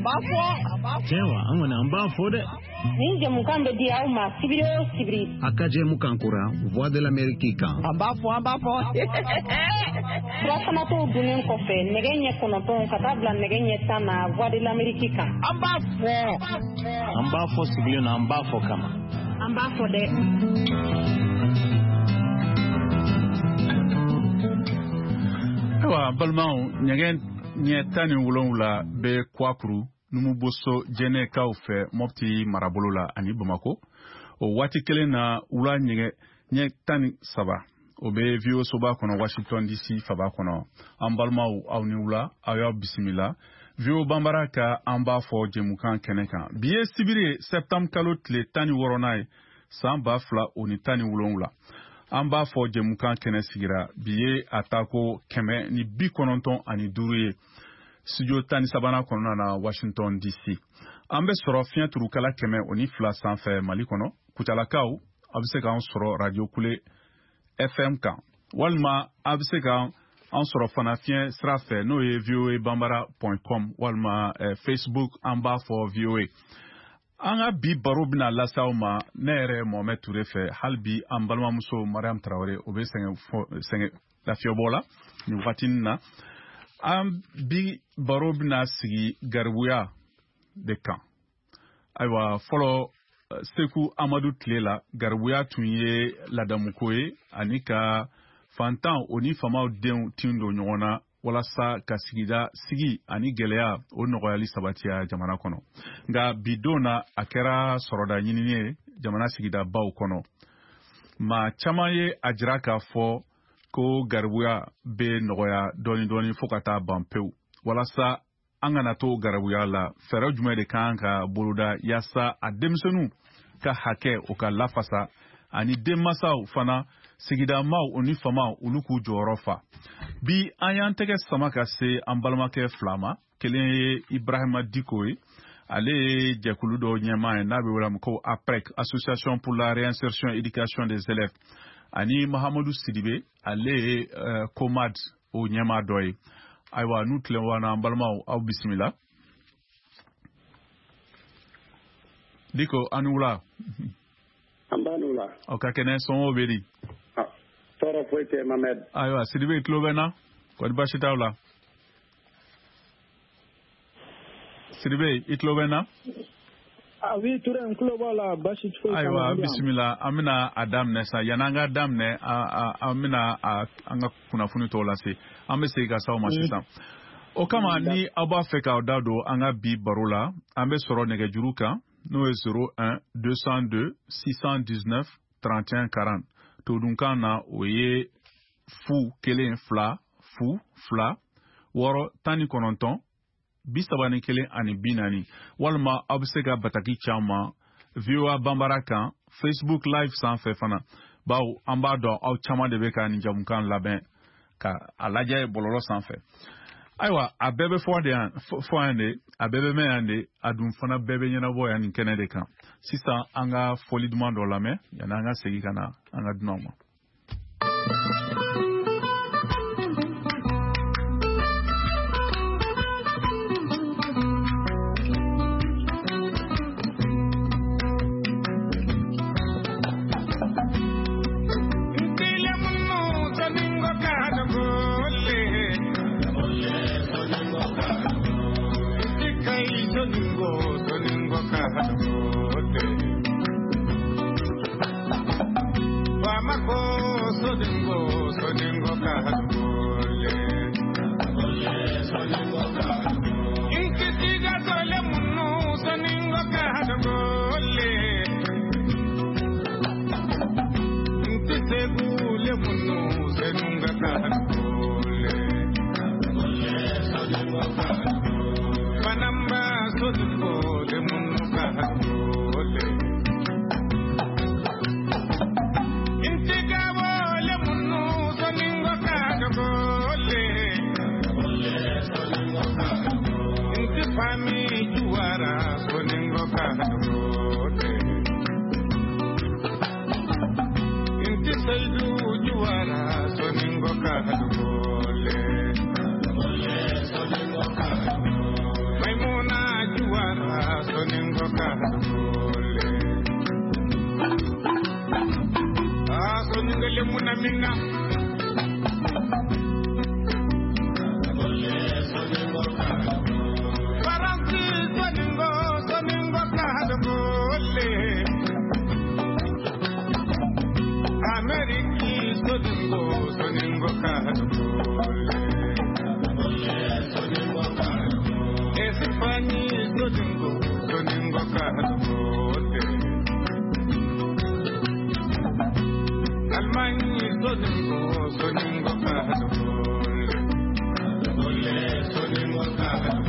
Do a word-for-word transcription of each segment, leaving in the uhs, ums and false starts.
b'a fɔ. Tiɲɛ wa, an kɔni an b'a fɔ dɛ. Nin jɛmukan bɛ di aw ma sibiri o sibiri. A ka jɛmukan kura Voix de l'Amérique kan. An b'a fɔ, an b'a fɔ. Surafanato dunnen kɔfɛ nɛgɛ ɲɛ kɔnɔntɔn ka taa bila nɛgɛ ɲɛ tan na Voix de l'Amérique kan. An b'a fɔ. An b'a fɔ sigilen na, an b'a fɔ kama. An b'a fɔ dɛ. Ayiwa, balimaw, ɲɛgɛn ɲɛ tan ni wolonwula bɛ Kwakuru Numuboso Jɛnɛkaw fɛ Mopti marabolo la ani Bamako. O waati kelen na, wula ɲɛgɛn ɲɛ tan ni saba o bɛ V O soba kɔnɔ Washington D C faba kɔnɔ. An balimaw, aw ni wula, aw y'aw bisimila V O Banbara ka an b'a fɔ jɛmukan kɛnɛ kan. Bi ye sibiri ye, septembre kalo tile tan ni wɔɔrɔnan ye, san ba fila o ni tan ni wolonwula. An b'a fɔ jɛmukan kɛnɛ sigira bi ye a tako kɛmɛ ni bi kɔnɔntɔn ani duuru ye studio tan ni sabanan kɔnɔna na Washington D C. An bɛ sɔrɔ fiɲɛ turukala kɛmɛ o ni fila sanfɛ Mali kɔnɔ. Kutalakaw, a bɛ se k'an sɔrɔ Radio Kule F M kan, walima a bɛ se k'an sɔrɔ fana fiɲɛ sira fɛ, n'o ye V O A Bambara point com, walima eh, Facebook an b'a fɔ V O A. An ka bi baro bɛna lase aw ma ne yɛrɛ Mohamed Touré fɛ. Hali bi an balimamuso Mariam Traoré o bɛ sɛgɛn sɛgɛn lafiyɛbɔ la nin wagati in na. An bi baro bɛna sigi garibuya de kan. Ayiwa, fɔlɔ Seku Amadu tile la, garibuya tun ye ladamuko ye ani ka fantan o ni faamaw denw tin don ɲɔgɔn na walasa ka sigida sigi ani gɛlɛya o nɔgɔyali sabatiya jamana kɔnɔ. Nka bi don na, a kɛra sɔrɔda ɲinini ye jamana sigidabaw kɔnɔ. Maa caman ye a jira k'a fɔ ko garibuya bɛ nɔgɔya dɔɔni dɔɔni fo ka taa ban pewu. Walasa an kana to garibuya la, fɛɛrɛ jumɛn de kan ka boloda yaasa a denmisɛnninw ka hakɛ o ka lafasa, ani denmansaw fana, sigidamaw o ni famaw, olu k'u jɔyɔrɔ fa. Bi an y'an tɛgɛ sama ka se an balimakɛ fila ma. Kelen ye Ibrahima Diko ye, ale ye jɛkulu dɔ ɲɛmaa ye n'a bɛ wele ko APREC, Association pour la réinsertion et éducation des élèves, ani Mahamadu Sidibe, ale ye uh, COMAD o ɲɛmaa dɔ ye. Ayiwa, n'u tilen an balimaw, aw bisimila. Diko, an ni wula. An b'a n'u la. Aw ka kɛnɛ, somɔgɔw bɛ di? Tɔɔrɔ foyi tɛ Mohamed. Ayiwa, Sidibe, i tulo bɛ n na? Kɔni baasi t'aw la? Sidibe, i tulo bɛ n na? Ah oui, Touré, n tulo b'a la, baasi foyi t'an Ayiwa, na. Bisimila, an bɛna a daminɛ sa. Yanni an ka daminɛ, an bɛna an ka kunnafoni tɔw lase. An bɛ segin ka s'aw ma sisan. O kama, ni aw b'a fɛ k'aw da don an ka bi baro la, an bɛ sɔrɔ nɛgɛjuru kan, n'o ye zéro un deux cent deux six cent dix-neuf trente et un quarante. Todunkan na, o ye fu kelen fila fu fila wɔɔrɔ tan ni kɔnɔntɔn bi saba ni kelen ani bi naani, walima aw bɛ se ka bataki caman V O A Banbara kan Facebook Live sanfɛ fana, bawo an b'a dɔn aw caman de bɛ ka nin jamukan labɛn ka a lajɛ bɔlɔlɔ sanfɛ. Ayiwa, a bɛɛ bɛ fɔ de yan, fɔ yan de, a bɛɛ bɛ mɛn yan de, a dun fana bɛɛ bɛ ɲɛnabɔ yan nin kɛnɛ de kan. Sisan an ka fɔli duman dɔ lamɛn yanni an ka segin ka na an ka dunanw ma. Munamina. Faransi soningo soningo kahadogole. Ameriki soningo soningo kahadogole. Espani soningo soningo kahadogole. Almani soningo soningo kahadogole. Soningo kahadogole.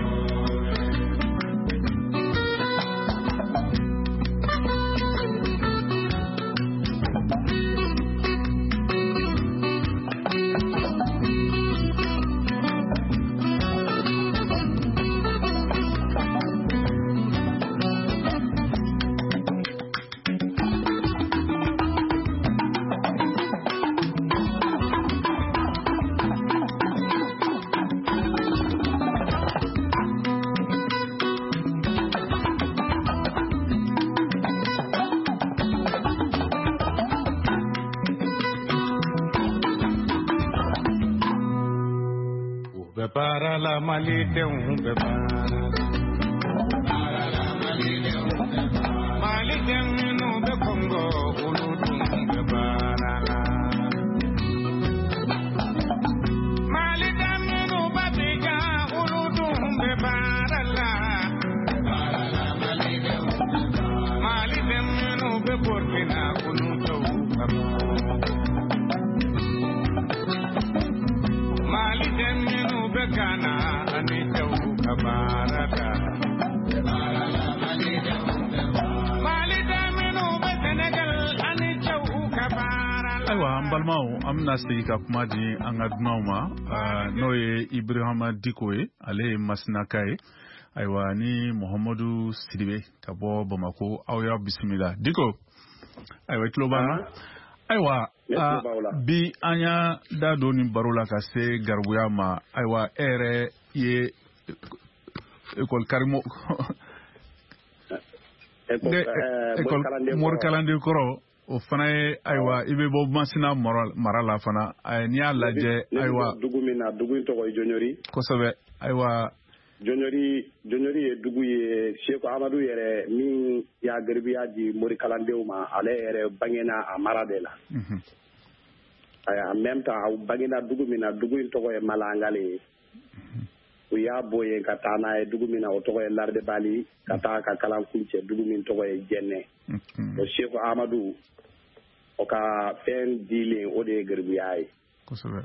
Para la malidenw bɛ baara la maliden minnu bɛ Kɔngo olu dun bɛ baara la maliden minnu bɛ Abidjan olu dun bɛ baara la maliden minnu bɛ Burkina olu dɔw ka baara maliden minnu bɛ Ghana ani cɛw ka baara la maliden minnu bɛ Senegal ani cɛw ka baara la. Ayiwa an balimaw, an bɛna segin ka kuma di an ka dunanw ma, n'o ye Ibrahima Diko ye, ale ye Masinaka ye. Ayiwa ni Muhamadu Sidibe ka bɔ Bamako, aw y'aw bisimila. Diko, ayiwa i tulo b'an na? Ayiwa bi an y'a da don nin baro la ka se garibuya ma. Ayiwa e yɛrɛ ye ekɔli karimo morikalanden kɔrɔ, o fana ye, ayiwa i bɛ bɔ Masina mara la fana. N'i y'a lajɛ, ayiwa dugu min na, dugu in tɔgɔ ye Jɔnjɔri. Kosɛbɛ. Ayiwa Jɔnjɔri Jɔnjɔri ye dugu ye Seku Amadu yɛrɛ min y'a garibuya di morikalandenw ma, ale yɛrɛ bangena a mara de la. En même temps a bangena dugu min na, dugu in tɔgɔ ye Malangale ye. U y'a bɔ yen ka taa n'a ye dugu min na, o tɔgɔ ye Lardebali, ka taa ka kalan kuncɛ dugu min tɔgɔ ye Jɛnɛ. O Seku Amadu o ka fɛn dilen o de ye garibuya ye. Kosɛbɛ.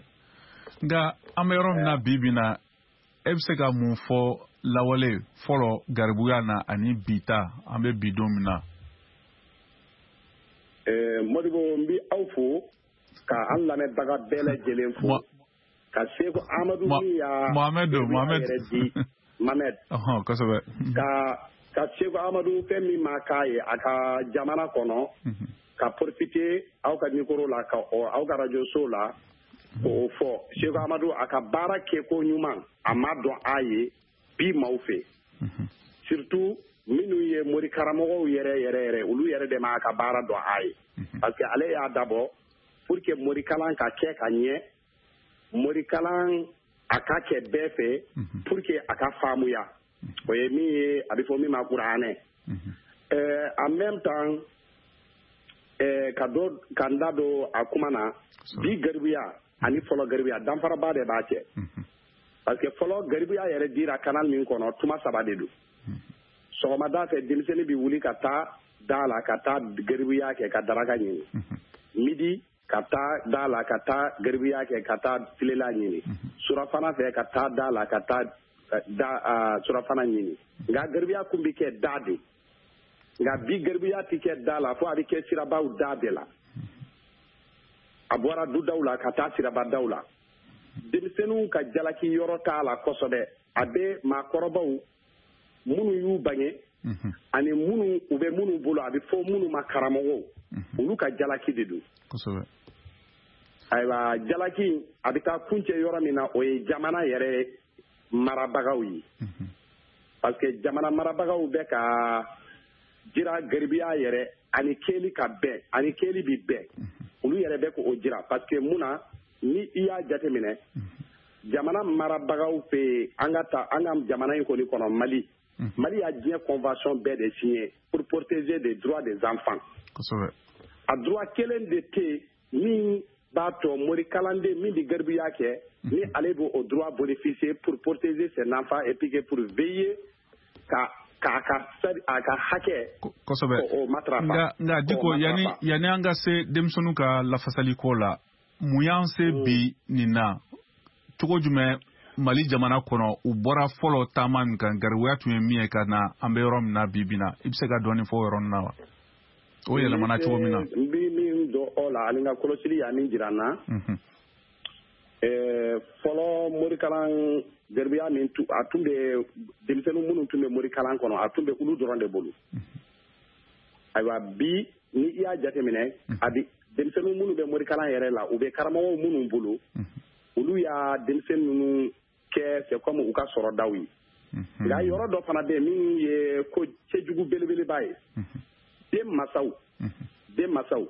Nka an bɛ yɔrɔ min na bi bi in na, e bɛ se ka mun fɔ lawale fɔlɔ garibuya na ani bi ta, an bɛ bi don min na? Modibo, n bɛ aw fo ka an lamɛnbaga bɛɛ lajɛlen fo, ka Seku Amadu min y'a Mohamed Mohamed yɛrɛ di Mohamed. Ɔhɔn, kosɛbɛ. Ka ka Seku Amadu fɛn min ma k'a ye a ka jamana kɔnɔ, ka profiter aw ka micro la, ka aw ka radio so la k'o fɔ. Seku Amadu a ka baara kɛko ɲuman a ma dɔn a ye bi maaw fɛ, surtout minnu ye mori karamɔgɔw yɛrɛ yɛrɛ yɛrɛ, olu yɛrɛ de ma a ka baara dɔn a ye, parce que ale y'a dabɔ pour que morikalan ka kɛ ka ɲɛ, morikalan a ka kɛ bɛɛ fɛ pour que a ka faamuya. O ye min ye, a bɛ fɔ min ma kuranɛ. En même temps, ka dɔ ka n da don a kuma na, bi garibuya ani fɔlɔ garibuya danfaraba de b'a cɛ. Parce que fɔlɔ garibuya yɛrɛ dira canal min kɔnɔ, tuma saba de don. Sɔgɔmada fɛ denmisɛnnin bɛ wuli ka taa da la ka taa garibuya kɛ ka daraka ɲini. Midi ka taa da la ka taa garibuya kɛ ka taa tilela ɲini. Surafana fɛ ka taa da la ka taa da surafana ɲini. Nka garibuya kun bɛ kɛ da de. Nka bi garibuya tɛ kɛ da la, fo a bɛ kɛ sirabaw da de la. A bɔra dudaw la ka taa sirabadaw la. Denmisɛnninw ka jalaki yɔrɔ t'a la kosɛbɛ. A bɛ maakɔrɔbaw minnu y'u bange ani minnu u bɛ minnu bolo, a bɛ fɔ minnu ma karamɔgɔw, olu ka jalaki de don. Kosɛbɛ. Ayiwa jalaki a bɛ taa kuncɛ yɔrɔ min na, o ye jamana yɛrɛ marabagaw ye. Parce que jamana marabagaw bɛ ka jira garibuya yɛrɛ ani kɛli ka bɛn, ani kɛli bi bɛn. Olu Olu yɛrɛ bɛ k'o jira, parce que mun na, ni i y'a jateminɛ, jamana marabagaw fɛ yen, an ka ta an ka jamana in kɔni kɔnɔ, Mali, Mali y'a diɲɛ convention bɛɛ de signé pour protéger les droits des enfants. Kosɛbɛ. A droit kelen de tɛ yen min b'a to morikalanden min bɛ garibuya kɛ, ni ale b'o droit bénéficier pour protéger ses enfants et puis que pour veiller ka k'a ka a ka hakɛ Kosɛbɛ. o matarafa. Nka nka Diko, yanni yanni an ka se denmisɛnninw ka lafasali ko la, mun y'an se bi nin na? Cogo jumɛn Mali jamana kɔnɔ, u bɔra fɔlɔ taama min kan, garibuya tun ye min ye, ka na an bɛ yɔrɔ min na bi bi na, i bɛ se ka dɔɔnin fɔ o yɔrɔnin na wa, o yɛlɛmana cogo min na? N bɛ min dɔn o la, ani n ka kɔlɔsili y'a min jira n na, fɔlɔ morikalan garibuya min, a tun bɛ denmisɛnnin minnu tun bɛ morikalan kɔnɔ, a tun bɛ olu dɔrɔn de bolo. Ayiwa, bi ni i y'a jateminɛ, a bɛ denmisɛnnin minnu bɛ morikalan yɛrɛ la, u bɛ karamɔgɔw minnu bolo, olu y'a denmisɛnnin ninnu kɛ c'est comme u ka sɔrɔdaw ye. Nka yɔrɔ dɔ fana bɛ yen min ye ko cɛjugu belebeleba ye: den masaw den masaw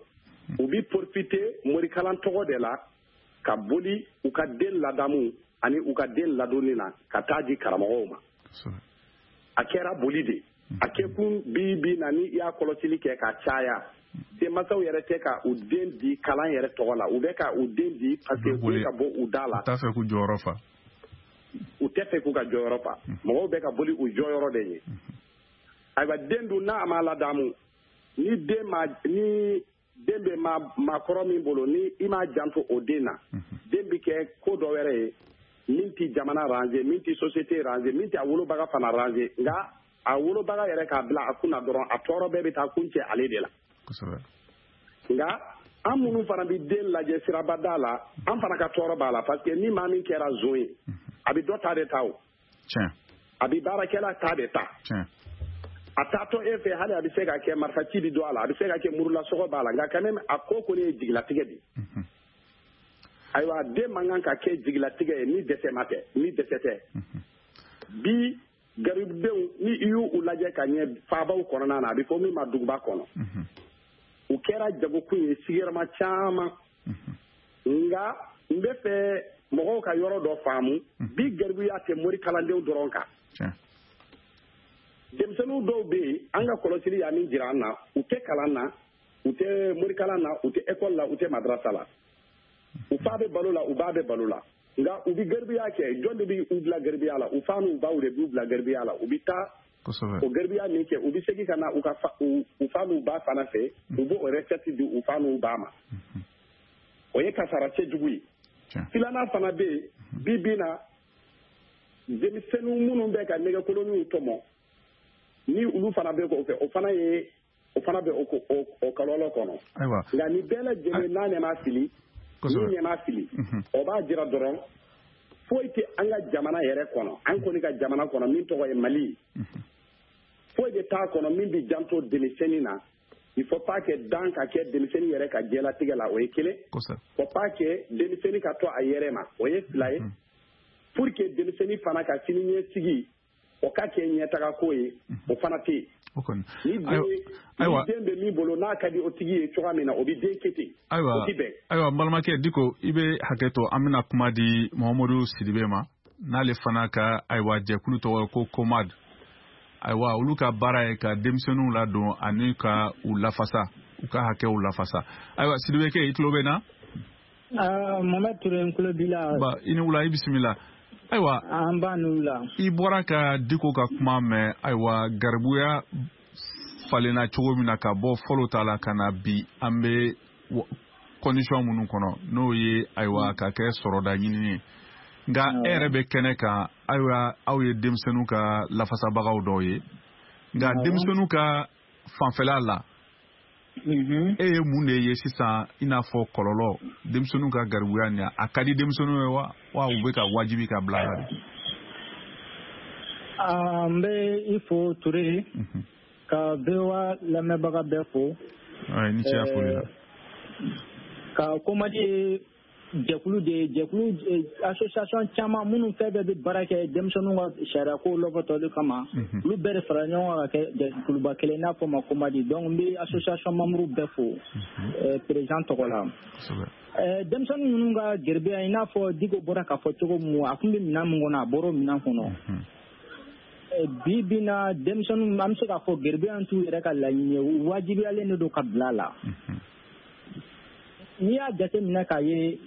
u bɛ profiter morikalan tɔgɔ de la ka boli u ka den ladamu ani u ka den ladonni na ka taa di karamɔgɔw ma. A kɛra boli de a kɛkun. Bi bi na, ni i y'a kɔlɔsili kɛ ka caya, denmansaw yɛrɛ tɛ ka u den di kalan yɛrɛ tɔgɔ la, u bɛ ka u den di parce que u bɛ ka bɔ u da la. U t'a fɛ k'u jɔyɔrɔ fa. U tɛ fɛ k'u ka jɔyɔrɔ fa. Mɔgɔw bɛ ka boli u jɔyɔrɔ de ye. Ayiwa, den dun, n'a ma ladamu, ni den ma ni den bɛ ma maakɔrɔ min bolo, ni i m'a janto o den na, den bɛ kɛ ko dɔ wɛrɛ ye min tɛ jamana ranger, min tɛ société ranger, min tɛ a wolobaga fana ranger. Nka a wolobaga yɛrɛ k'a bila a kunna dɔrɔn, a tɔɔrɔ bɛɛ bɛ taa kun cɛ ale de la. Nka an minnu fana bɛ den lajɛ sirabada la, an fana ka tɔɔrɔ b'a la, parce que ni maa min kɛra zon ye, a bɛ dɔ ta de ta, o a bɛ baarakɛla ta de ta. A taatɔ e fɛ, hali a bɛ se ka kɛ marifaci bɛ don a la, a bɛ se ka kɛ murulasɔgɔ b'a la, nka quand même a ko kɔni ye jigilatigɛ de ye. Ayiwa, den man kan ka kɛ jigilatigɛ ye ni dɛsɛ ma tɛ, ni dɛsɛ tɛ. Bi garibudenw, ni i y'u lajɛ ka ɲɛ faabaw kɔnɔna na, a bɛ fɔ min ma duguba kɔnɔ, u kɛra jagokun ye sigiyɔrɔma caman. Nka n bɛ fɛ mɔgɔw ka yɔrɔ dɔ faamu: bi garibuya tɛ mori kalandenw dɔrɔn kan. Denmisɛnninw dɔw bɛ yen, an ka kɔlɔsili y'a min jira an na, u tɛ kalan na, u tɛ morikalan na, u tɛ ekɔli la, u tɛ madarasa la. U fa bɛ balo la, u ba bɛ balo la, nka u bɛ garibuya kɛ. Jɔn de bɛ u bila garibuya la? U fa n'u baw de b'u bila garibuya la. U bɛ taa o garibuya min kɛ, u bɛ segin ka na u ka u fa n'u ba fana fɛ, u b'o recette di u fa n'u ba ma. O ye kasara cɛjugu ye. Filanan fana bɛ yen, bi bi na, denmisɛnnin minnu bɛ ka nɛgɛkoloninw tɔmɔ, ni olu fana bɛ k'o fɛ, o fana ye o fana bɛ o o kɔlɔlɔ kɔnɔ. Nka nin bɛɛ lajɛlen n'a ɲɛ ma fili, ni ɲɛ ma fili, o b'a jira dɔrɔn foyi tɛ an ka jamana yɛrɛ kɔnɔ, an kɔni ka jamana kɔnɔ min tɔgɔ ye Mali, foyi de t'a kɔnɔ min bɛ janto denmisɛnnin na. Il faut pas que dan ka kɛ denmisɛnnin yɛrɛ ka diɲɛlatigɛ la, o ye kelen. Faut pas que denmisɛnnin ka to a yɛrɛ ma, o ye fila ye. Pour que denmisɛnnin fana ka sini ɲɛsigi o ka kɛ ɲɛtaga ko ye, o fana tɛ yen. Ni den ni den bɛ min bolo, n'a ka di o tigi ye cogoya min na, o bɛ den kɛ ten. Ayiwa, ayiwa, n balimakɛ Diko, i bɛ hakɛ to, an bɛna kuma di Mahamadu Sidibe ma, n'ale fana ka, ayiwa, jɛkulu tɔgɔ ko COMAD. Ayiwa, olu ka baara ye ka denmisɛnninw ladon ani ka u lafasa, u ka hakɛw lafasa. Ayiwa, Sidibe kɛ, i tulo bɛ na? Mohamed Ture, n tulo b'i la. Ba, i ni wula, i bisimila. Ayiwa, an b'a n'u la. I bɔra ka Diko ka kuma mɛn. Ayiwa, garibuya falenna cogo min na ka bɔ fɔlɔ ta la ka na bi, an bɛ condition minnu kɔnɔ, n'o ye, ayiwa, ka kɛ sɔrɔda ɲinini ye. Nka e yɛrɛ bɛ kɛnɛ kan, ayiwa, aw ye denmisɛnninw ka lafasabagaw dɔw ye. Nka denmisɛnninw ka fanfɛla la, e ye mun de ye sisan, i n'a fɔ kɔlɔlɔ denmisɛnninw ka garibuya nin, a ka di denmisɛnninw ye wa, wa u bɛ ka wajibi ka bila la de? N bɛ i fo Ture, ka V O A lamɛnbaga bɛɛ fo. Ni ce a foli la. Ka COMAD jɛkulu de ye, jɛkulu association caman minnu fɛn bɛɛ bɛ baara kɛ denmisɛnninw ka sariya ko lɔbɔtɔli kama, olu bɛɛ de fara ɲɔgɔn kan ka kɛ jɛkuluba kelen n'a fɔ ma Komadi. Donc n bɛ association membre bɛɛ fo président tɔgɔ la. Denmisɛnnin ninnu ka garibuya, i n'a fɔ Diko bɔra k'a fɔ cogo min, a tun bɛ minɛn min kɔnɔ, a bɔra o minɛn kɔnɔ. Bi bi na denmisɛnninw, an bɛ se k'a fɔ garibuya t'u yɛrɛ ka laɲini ye, u wajibiyalen de don ka bila a la. N'i y'a jateminɛ k'a ye,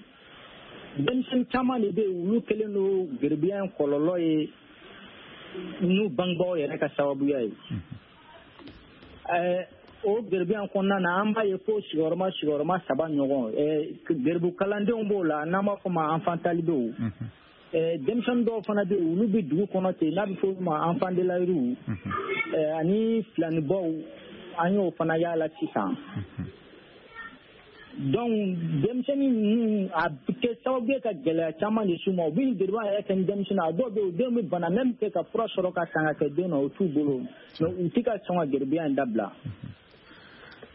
denmisɛnnin caman de bɛ yen, olu kɛlen don garibuya in kɔlɔlɔ ye n'u bangebaaw yɛrɛ ka sababuya ye. O garibuya in kɔnɔna na, an b'a ye fo sigiyɔrɔma sigiyɔrɔma saba ɲɔgɔn, garibu kalandenw b'o la, n'an b'a fɔ ma enfant talibéw. Denmisɛnnin dɔw fana bɛ yen, olu bɛ dugu kɔnɔ ten, n'a bɛ fɔ olu ma enfant de la rue, ani filanibaw, an y'o fana y'a la sisan. Donc denmisɛnnin ninnu, a bɛ kɛ sababu ye ka gɛlɛya caman de s'u ma. U bɛ garibuya yɛrɛ kɛ ni denmisɛnnin, a dɔw bɛ yen, u denw bɛ bana, même kɛ ka fura sɔrɔ ka san ka kɛ den na, o t'u bolo, mais u tɛ ka sɔn ka garibuya in dabila.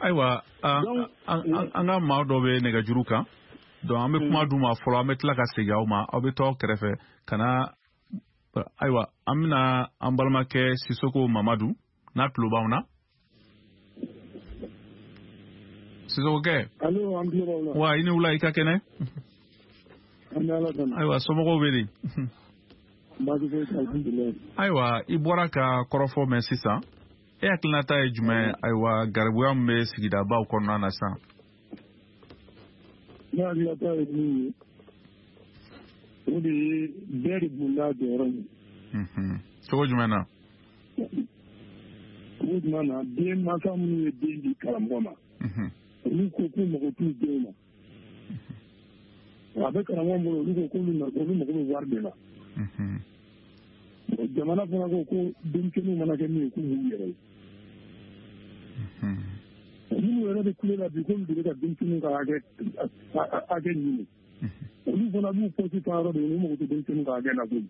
Ayiwa, an ka maa dɔ bɛ nɛgɛjuru kan, donc an bɛ kuma d'u ma fɔlɔ, an bɛ tila ka segin aw ma, aw bɛ to aw kɛrɛfɛ ka na. Ayiwa, an bɛna an balimakɛ Sisoko Mamadu, n'a tulo b'anw na. Sisokokɛ. Allo, an tulo b'aw la. Wa i ni wula, i ka kɛnɛ? An bɛ Ala tanu. Ayiwa, somɔgɔw bɛ di? Baasi foyi tɛ, alhamdulilayi. Ayiwa, i bɔra ka kɔrɔfɔ mɛn sisan, e hakilinata ye jumɛn? Ayiwa, garibuya min bɛ sigidabaw kɔnɔna na sisan. Ne hakilinata ye min ye, o de ye bɛɛ de b'u n'a jɔyɔrɔ ye. Cogo jumɛn na? Cogo jumɛn na, den mansa minnu ye den di karamɔgɔ ma, olu ko k'u mago t'u denw na. A bɛ karamɔgɔ bolo, olu ko k'olu olu mago bɛ wari de la. Jamana fana ko ko denmisɛnninw mana kɛ min ye, k'u b'u yɛrɛ ye. Minnu yɛrɛ bɛ kule la bi, k'olu de bɛ ka denmisɛnninw ka hakɛ hakɛ ɲini. Olu fana b'u pɔsi ta yɔrɔ de, olu mago tɛ denmisɛnninw ka hakɛ la koyi.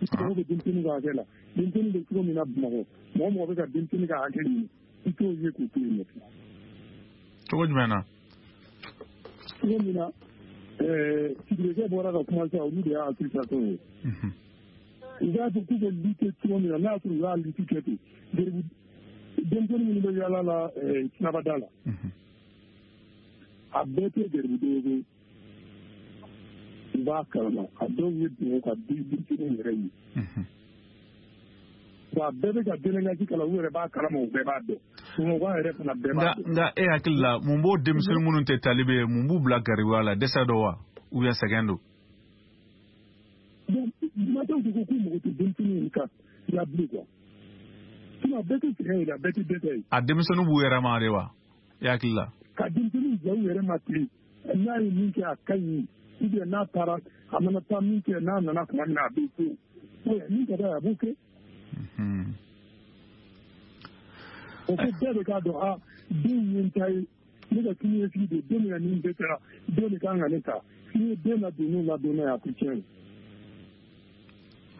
I mago bɛ denmisɛnninw ka hakɛ la. Denmisɛnnin bɛ cogo min na Bamakɔ, mɔgɔ mɔgɔ bɛ ka denmisɛnnin ka hakɛ ɲini, i t'o ye k'o to yen nɔ. Cogo jumɛn na? Cogo min na, Sidibe bɔra ka kuma sisan, olu de y'a association ye. U b'a fɔ k'u bɛ lutter cogo min na, n'a y'a sɔrɔ u y'a lutte kɛ ten, denmisɛnnin minnu bɛ yaala la sirabada la, a bɛɛ tɛ garibuden ye koyi. U b'a kalama, a dɔw ye dugawu ka denmisɛnninw yɛrɛ ye. Wa bɛɛ bɛ ka délinquance kalan, u yɛrɛ b'a kalama, u bɛɛ b'a dɔn. Bamakɔ yɛrɛ fana bɛɛ b'a dɔn. Nka e hakili la, mun b'o denmisɛnnin minnu tɛ talibe ye, mun b'u bila garibuya la? Dɛsɛ dɔ wa, ou bien sɛgɛn don? Mansaw de ko k'u mago tɛ denmisɛnninw ka la bilen quoi. Sinon a bɛɛ tɛ sɛgɛn ye, a bɛɛ tɛ dɛsɛ ye. A denmisɛnninw b'u yɛrɛ ma de wa, e hakili la? Ka denmisɛnninw bila u yɛrɛ ma ten, n'a ye min kɛ a ka ɲi, ou bien n'a taara, a mana taa min kɛ, n'a nana tuma min na a bɛ so. Min ka d'a ye, a b'o kɛ. O ko bɛɛ de k'a dɔn, a den ye n ta ye, ne ka siniɲɛsigi de, den min ka nin bɛɛ kɛra, den de kan ka ne ta. N'i ye den ladon n'o ladonna ye, a tɛ tiɲɛ ye.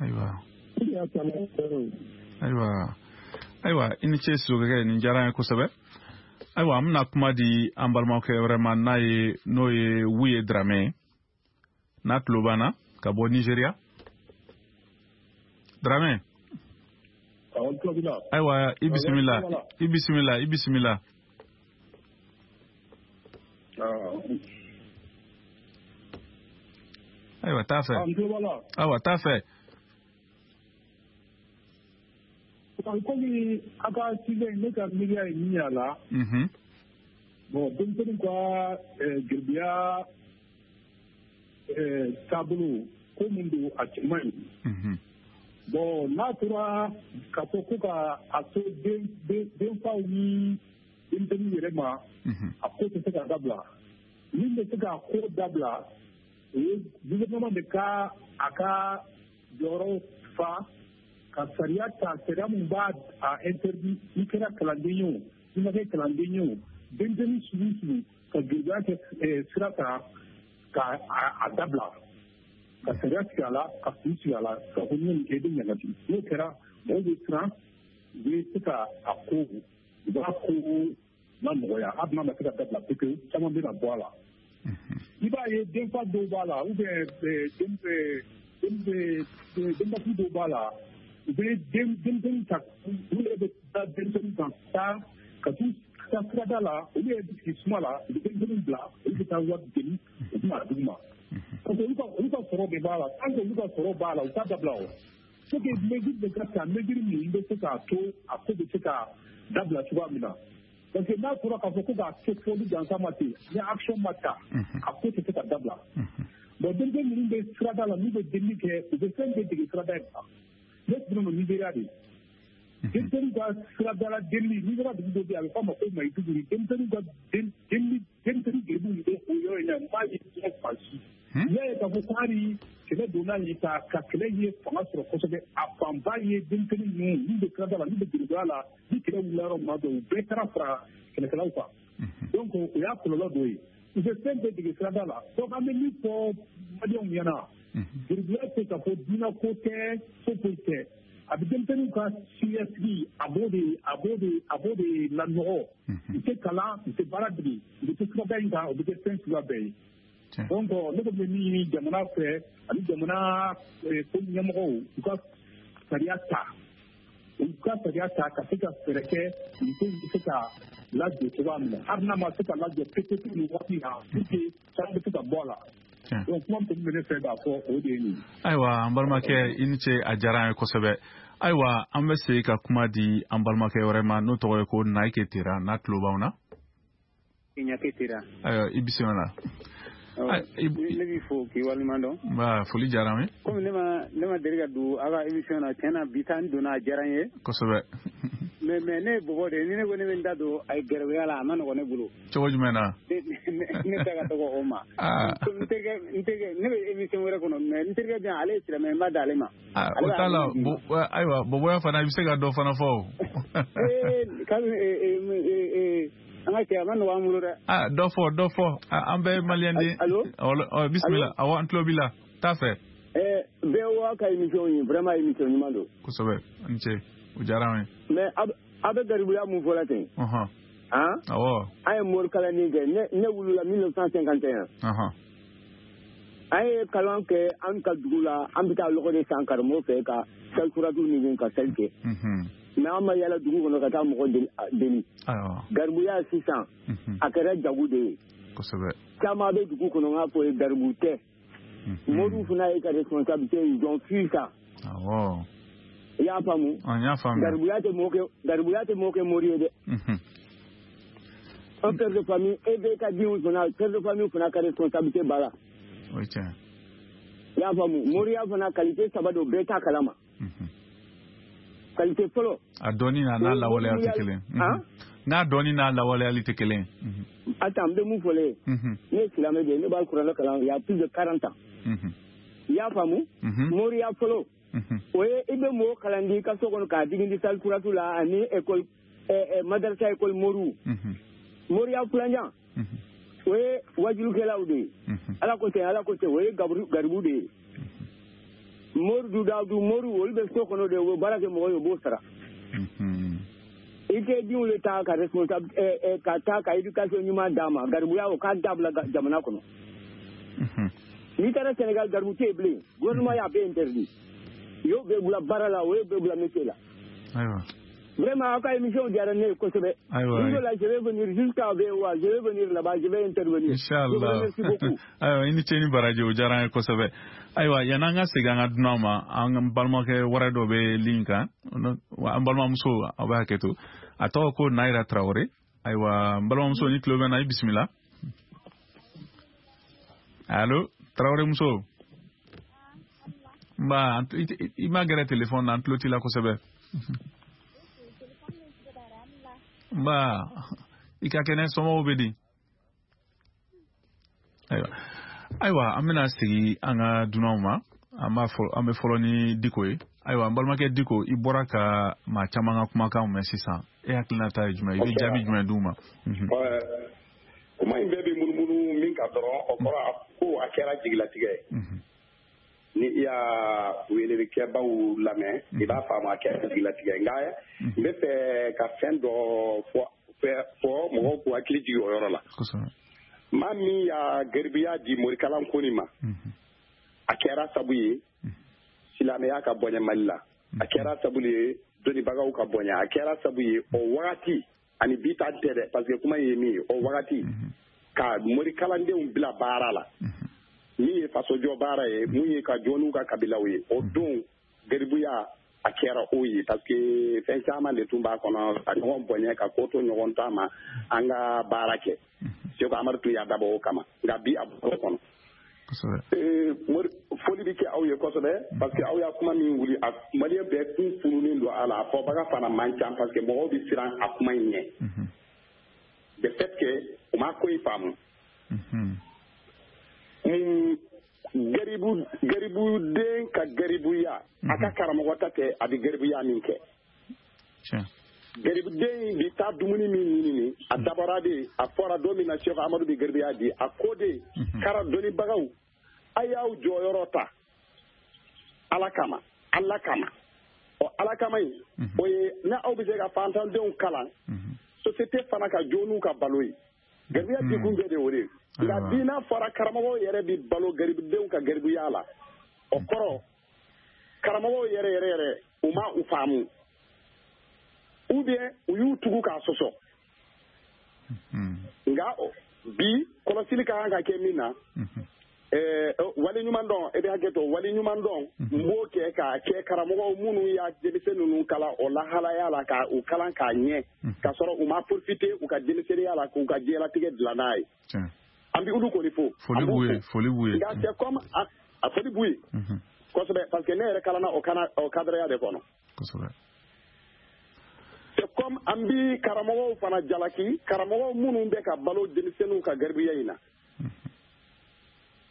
Ayiwa. O de y'a caman yɔrɔ ye. Ayiwa, ayiwa, i ni ce Sisokokɛ, nin diyara an ye kosɛbɛ. Ayiwa, an bɛna kuma di an balimakɛ wɛrɛ ma, n'a ye n'o ye Wuye Dramɛ ye, n'a tulo b'an na ka bɔ Nizeriya. Dramɛ. Ayiwa, i bisimila, i bisimila, i bisimila. Ayiwa, t'a fɛ. Ayiwa, t'a fɛ. Komi a ka sujet, ne ka miiriya ye min ye a la. Bon, denmisɛnninw ka garibuya taabolo ko min don, a cɛ man ɲi. Bon, n'a tora k'a fɔ ko ka a to den denfaw ni denmisɛnninw yɛrɛ ma, a ko tɛ se ka dabila. Min bɛ se ka ko dabila, o ye gouvernement de ka a ka jɔyɔrɔ fa, ka sariya ta, sariya min b'a a interdit, i kɛra kalanden ye o, i ma kɛ kalanden ye o, denmisɛnnin sugu sugu ka garibuya kɛ sira kan, ka a dabila, ka sariya sigi a la, ka fu sigi a la, ka fɔ ni nin kɛ, i bɛ ɲangati. N'o kɛra, mɔgɔw bɛ siran, u bɛ se ka a ko, u b'a ko la nɔgɔya, hali n'a ma se ka dabila pewu, caman bɛna bɔ a la. I b'a ye denfa dɔw b'a la ou bien denbatigi dɔw b'a la, u bɛ denmisɛnnin ta, olu yɛrɛ bɛ taa denmisɛnnin kan taa ka t'u taa sirada la, olu yɛrɛ bɛ sigi suma la, u bɛ denmisɛnnin bila, olu bɛ taa wari deli, u bɛ n'a d'u ma. Parce que olu ka olu ka sɔrɔ de b'a la, tant que olu ka sɔrɔ b'a la, u t'a dabila o. Faut que mesure de ka ta, mesure min bɛ se k'a to a ko bɛ se ka dabila cogoya min na. Parce que n'a fɔra k'a fɔ ko k'a to fɔli gansan ma ten, ni action ma ta, a ko tɛ se ka dabila. Bon, denmisɛnnin minnu bɛ sirada la, n'u bɛ delili kɛ, u bɛ fɛn bɛɛ dege sirada in kan. Ne tun bɛ Nigéria de. Denmisɛnninw ka sirada la delili, Nigéria dugu dɔ bɛ yen, a bɛ f'a ma ko Maiduguri. Denmisɛnninw ka delili, denmisɛnnin geribuw bɛ o yɔrɔ in na, n b'a ye diɲɛ fan si. N'i y'a ye k'a fɔ ko hali kɛlɛ donna yen ka ka kɛlɛ ye fanga sɔrɔ kosɛbɛ, a fanba ye denmisɛnnin ninnu min bɛ sirada la, min bɛ geribuya la, ni kɛlɛ wulila yɔrɔ min na dɔrɔn, u bɛɛ taara fara kɛlɛkɛlaw kan. Donc o y'a kɔlɔlɔ dɔ ye. U bɛ fɛn bɛɛ dege sirada la. Donc an bɛ min fɔ maliyɛnw ɲɛna, geribuya tɛ k'a fɔ diinɛ ko tɛ, foyi foyi tɛ. A bɛ denmisɛnninw ka siniɲɛsigi, a b'o de a b'o de a b'o de lanɔgɔ. U tɛ kalan, u tɛ baara dege, u bɛ to sirada in kan, u bɛ kɛ fɛn suguya bɛɛ ye. Donc ne kɔni bɛ min ɲini jamana fɛ ani jamana ko ɲɛmɔgɔw, u ka sariya ta, u ka sariya ta ka se ka fɛɛrɛ kɛ nin ko in bɛ se ka lajɔ cogoya min na, hali n'a ma se ka lajɔ pewu nin waati in na, pour que caman bɛ se ka bɔ a la. Donc kuma min bɛ ne fɛ k'a fɔ, o de ye nin ye. Ayiwa, an balimakɛ, i ni ce, a diyara an ye kosɛbɛ. Ayiwa, an bɛ segin ka kuma di an balimakɛ wɛrɛ ma, n'o tɔgɔ ye ko Nayike Tera, n'a tulo b'anw na. Ɲake Tera. Ayiwa, i bisimila. Ne b'i fo k'i waleɲuman dɔn. Nba, foli diyara n ye. Komi ne ma ne ma deli ka don aw ka émission na, tiɲɛ na bi ta n donna, a diyara n ye. Kosɛbɛ. Mais mais ne ye bɔbɔ de ye, ni ne ko ne bɛ n da don a gɛrɛbuya la, a ma nɔgɔn ne bolo. Cogo jumɛn na? Ne ta ka dɔgɔ o ma. N terikɛ n terikɛ ne bɛ émission wɛrɛ kɔnɔ, mais n terikɛ bɛ yan, ale ye silamɛ, n b'a d'ale ma. O t'a la, ayiwa, bɔbɔya fana, i bɛ se ka dɔ fana fɔ o. Ee kabi an ka cɛ, a ma nɔgɔ an bolo dɛ. Ah, dɔ fɔ, dɔ fɔ, an bɛɛ ye maliyɛn de ye. Allo? Bisimila, awɔ, an tulo b'i la, taa fɛ. Ɛɛ V O A ka émission ye vraiment émission ɲuman don. Kosɛbɛ, a ni ce, o diyara an ye. Mais a bɛ garibuya mun fɔla ten? Ɔhɔn. Han? Awɔ. An ye morikalanni kɛ, ne ne wulila mille neuf cent cinquante et un. Ɔhɔn. An ye kalan kɛ an ka dugu la, an bɛ taa lɔgɔ de san karamɔgɔ fɛ ka salikuratu ɲini ka sali kɛ. Mais an ma yala dugu kɔnɔ ka taa mɔgɔ deli. Garibuya sisan, a kɛra jago de ye. Kosɛbɛ. Caman bɛ dugu kɔnɔ, n k'a fɔ ye garibu tɛ. Moriw fana ye ka responsabilité, ils ont fui ça. Awɔ. I y'a faamu? N y'a faamu. Garibuya tɛ mɔgɔ kɛ garibuya tɛ mɔgɔ kɛ mori ye dɛ. Un père de famille, e bɛ ka denw fana, père de famille fana ka responsabilité b'a la. O ye tiɲɛ. I y'a faamu? Moriya fana qualité saba don, bɛɛ t'a kalama. Qualité fɔlɔ. A dɔnni n'a n'a lawaleyali tɛ kelen. N'a dɔnni n'a lawaleyali tɛ kelen. Attends, n bɛ mun fɔ le ye. Ne ye silamɛ de ye, ne b'a kuranɛ kalan il y a plus de quarante ans. I y'a faamu? Moriya fɔlɔ. O ye i bɛ mɔgɔ kalan di i ka so kɔnɔ k'a digi di salikuratu la ani école madarasa école moriw. Moriya filanan. O ye wajulukɛlaw de ye. Ala ko ten, Ala ko ten, o ye garibu de ye. Mori du dawudu mori, olu bɛ so kɔnɔ de, u bɛ baara kɛ mɔgɔ ye, u b'o sara. I tɛ denw de ta ka responsable ka taa ka éducation ɲuman d'a ma, garibuya o k'a dabila jamana kɔnɔ. N'i taara Sénégal, garibu tɛ yen bilen, gouvernement y'a bɛɛ interdit. U y'o bɛɛ bila baara la, o y'o bɛɛ bila métier la. Ayiwa. Vraiment, aw ka émission diyara ne ye kosɛbɛ. Ayiwa. Ni la, je vais venir jusqu'à V O A, je vais venir là-bas, je vais intervenir. Inchallah. Merci beaucoup. Ayiwa, i ni ce ni baraji, o diyara an ye kosɛbɛ. Ayiwa, yan'an ka segin an ka dunanw ma, an balimakɛ wɛrɛ dɔ bɛ ligne kan, an balimamuso, aw bɛ hakɛ to. A tɔgɔ ko Nayira Traoré. Ayiwa, n balimamuso, ni tulo bɛ n na, i bisimila. Allo, Traoré muso. Nba, i ma gɛrɛ téléphone na, an tulo t'i la kosɛbɛ. Nba, i ka kɛnɛ, somɔgɔw bɛ di? Ayiwa, ayiwa, an bɛna segin an ka dunanw ma. An b'a fɔ, an bɛ fɔlɔ ni Diko ye. Ayiwa, n balimakɛ Diko, i bɔra ka maa caman ka kumakanw mɛn sisan. E hakilinata ye jumɛn ye? I bɛ jaabi jumɛn d'u ma? Kuma in bɛɛ bɛ munumunu min kan dɔrɔn, o kɔrɔ ko a kɛra jigilatigɛ ye. Ni i y'a welelikɛbaw lamɛn, i b'a faamu a kɛra jigilatigɛ ye. Nka n bɛ fɛ ka fɛn dɔ fɔ fɔ mɔgɔw k'u hakili jigin o yɔrɔ la. Maa min y'a garibuya di morikalan ko nin ma, a kɛra sabu ye silamɛya ka bonya Mali la, a kɛra sabu ye dɔnnibagaw ka bonya, a kɛra sabu ye o wagati ani bi ta tɛ dɛ, parce que kuma ye min ye o wagati ka morikalandenw bila baara la, min ye fasojɔ baara ye, mun ye ka jɔ n'u ka kabilaw ye, o don garibuya a kɛra o ye, parce que fɛn caman de tun b'a kɔnɔ, ka ɲɔgɔn bonya, ka ko to ɲɔgɔn ta ma, an ka baara kɛ. Seko Amadu tun y'a dabɔ o kama, nka bi a bɔr'o kɔnɔ. Foli bɛ kɛ aw ye kosɛbɛ, parce que aw y'a kuma min wuli, a maliyɛn bɛɛ kun fununen don a la, a fɔbaga fana man ca, parce que mɔgɔw bɛ siran a kuma in ɲɛ. De fait que u ma ko in faamu. Garibu garibuden ka garibuya, a ka karamɔgɔ ta tɛ, a bɛ garibuya min kɛ. Garibuden bɛ taa dumuni min ɲini, a dabɔra de, a fɔra don min na Seko Amadu bɛ garibuya di, a ko de kara dɔnnibagaw, a y'aw jɔyɔrɔ ta Ala kama, Ala kama. Ɔ Ala kama in, o ye n'aw bɛ se ka fantandenw kalan, société fana ka jɔ n'u ka balo ye. Garibuya dikun bɛɛ de o de ye. Nka bi n'a fɔra karamɔgɔw yɛrɛ bɛ balo garibudenw ka garibuya la, o kɔrɔ karamɔgɔw yɛrɛ yɛrɛ yɛrɛ u ma u faamu, ou bien u y'u tugu k'a sɔsɔ. Nka bi kɔlɔsili ka kan ka kɛ min na, wale ɲuman dɔn, e bɛ hakɛ to, wale ɲuman dɔn n b'o kɛ k'a kɛ karamɔgɔw minnu y'a denmisɛn ninnu kalan o lahalaya la, ka u kalan k'a ɲɛ, k'a sɔrɔ u ma profiter u ka denmisɛnninya la k'u ka diɲɛlatigɛ dilan n'a ye. An bɛ olu kɔni fo. Foli b'u ye, foli b'u ye. Nka c'est comme a foli b'u ye kosɛbɛ, parce que ne yɛrɛ kalanna o kana o cadre de kɔnɔ. Kosɛbɛ. C'est comme an bi karamɔgɔw fana jalaki, karamɔgɔw minnu bɛ ka balo denmisɛnninw ka garibuya in na,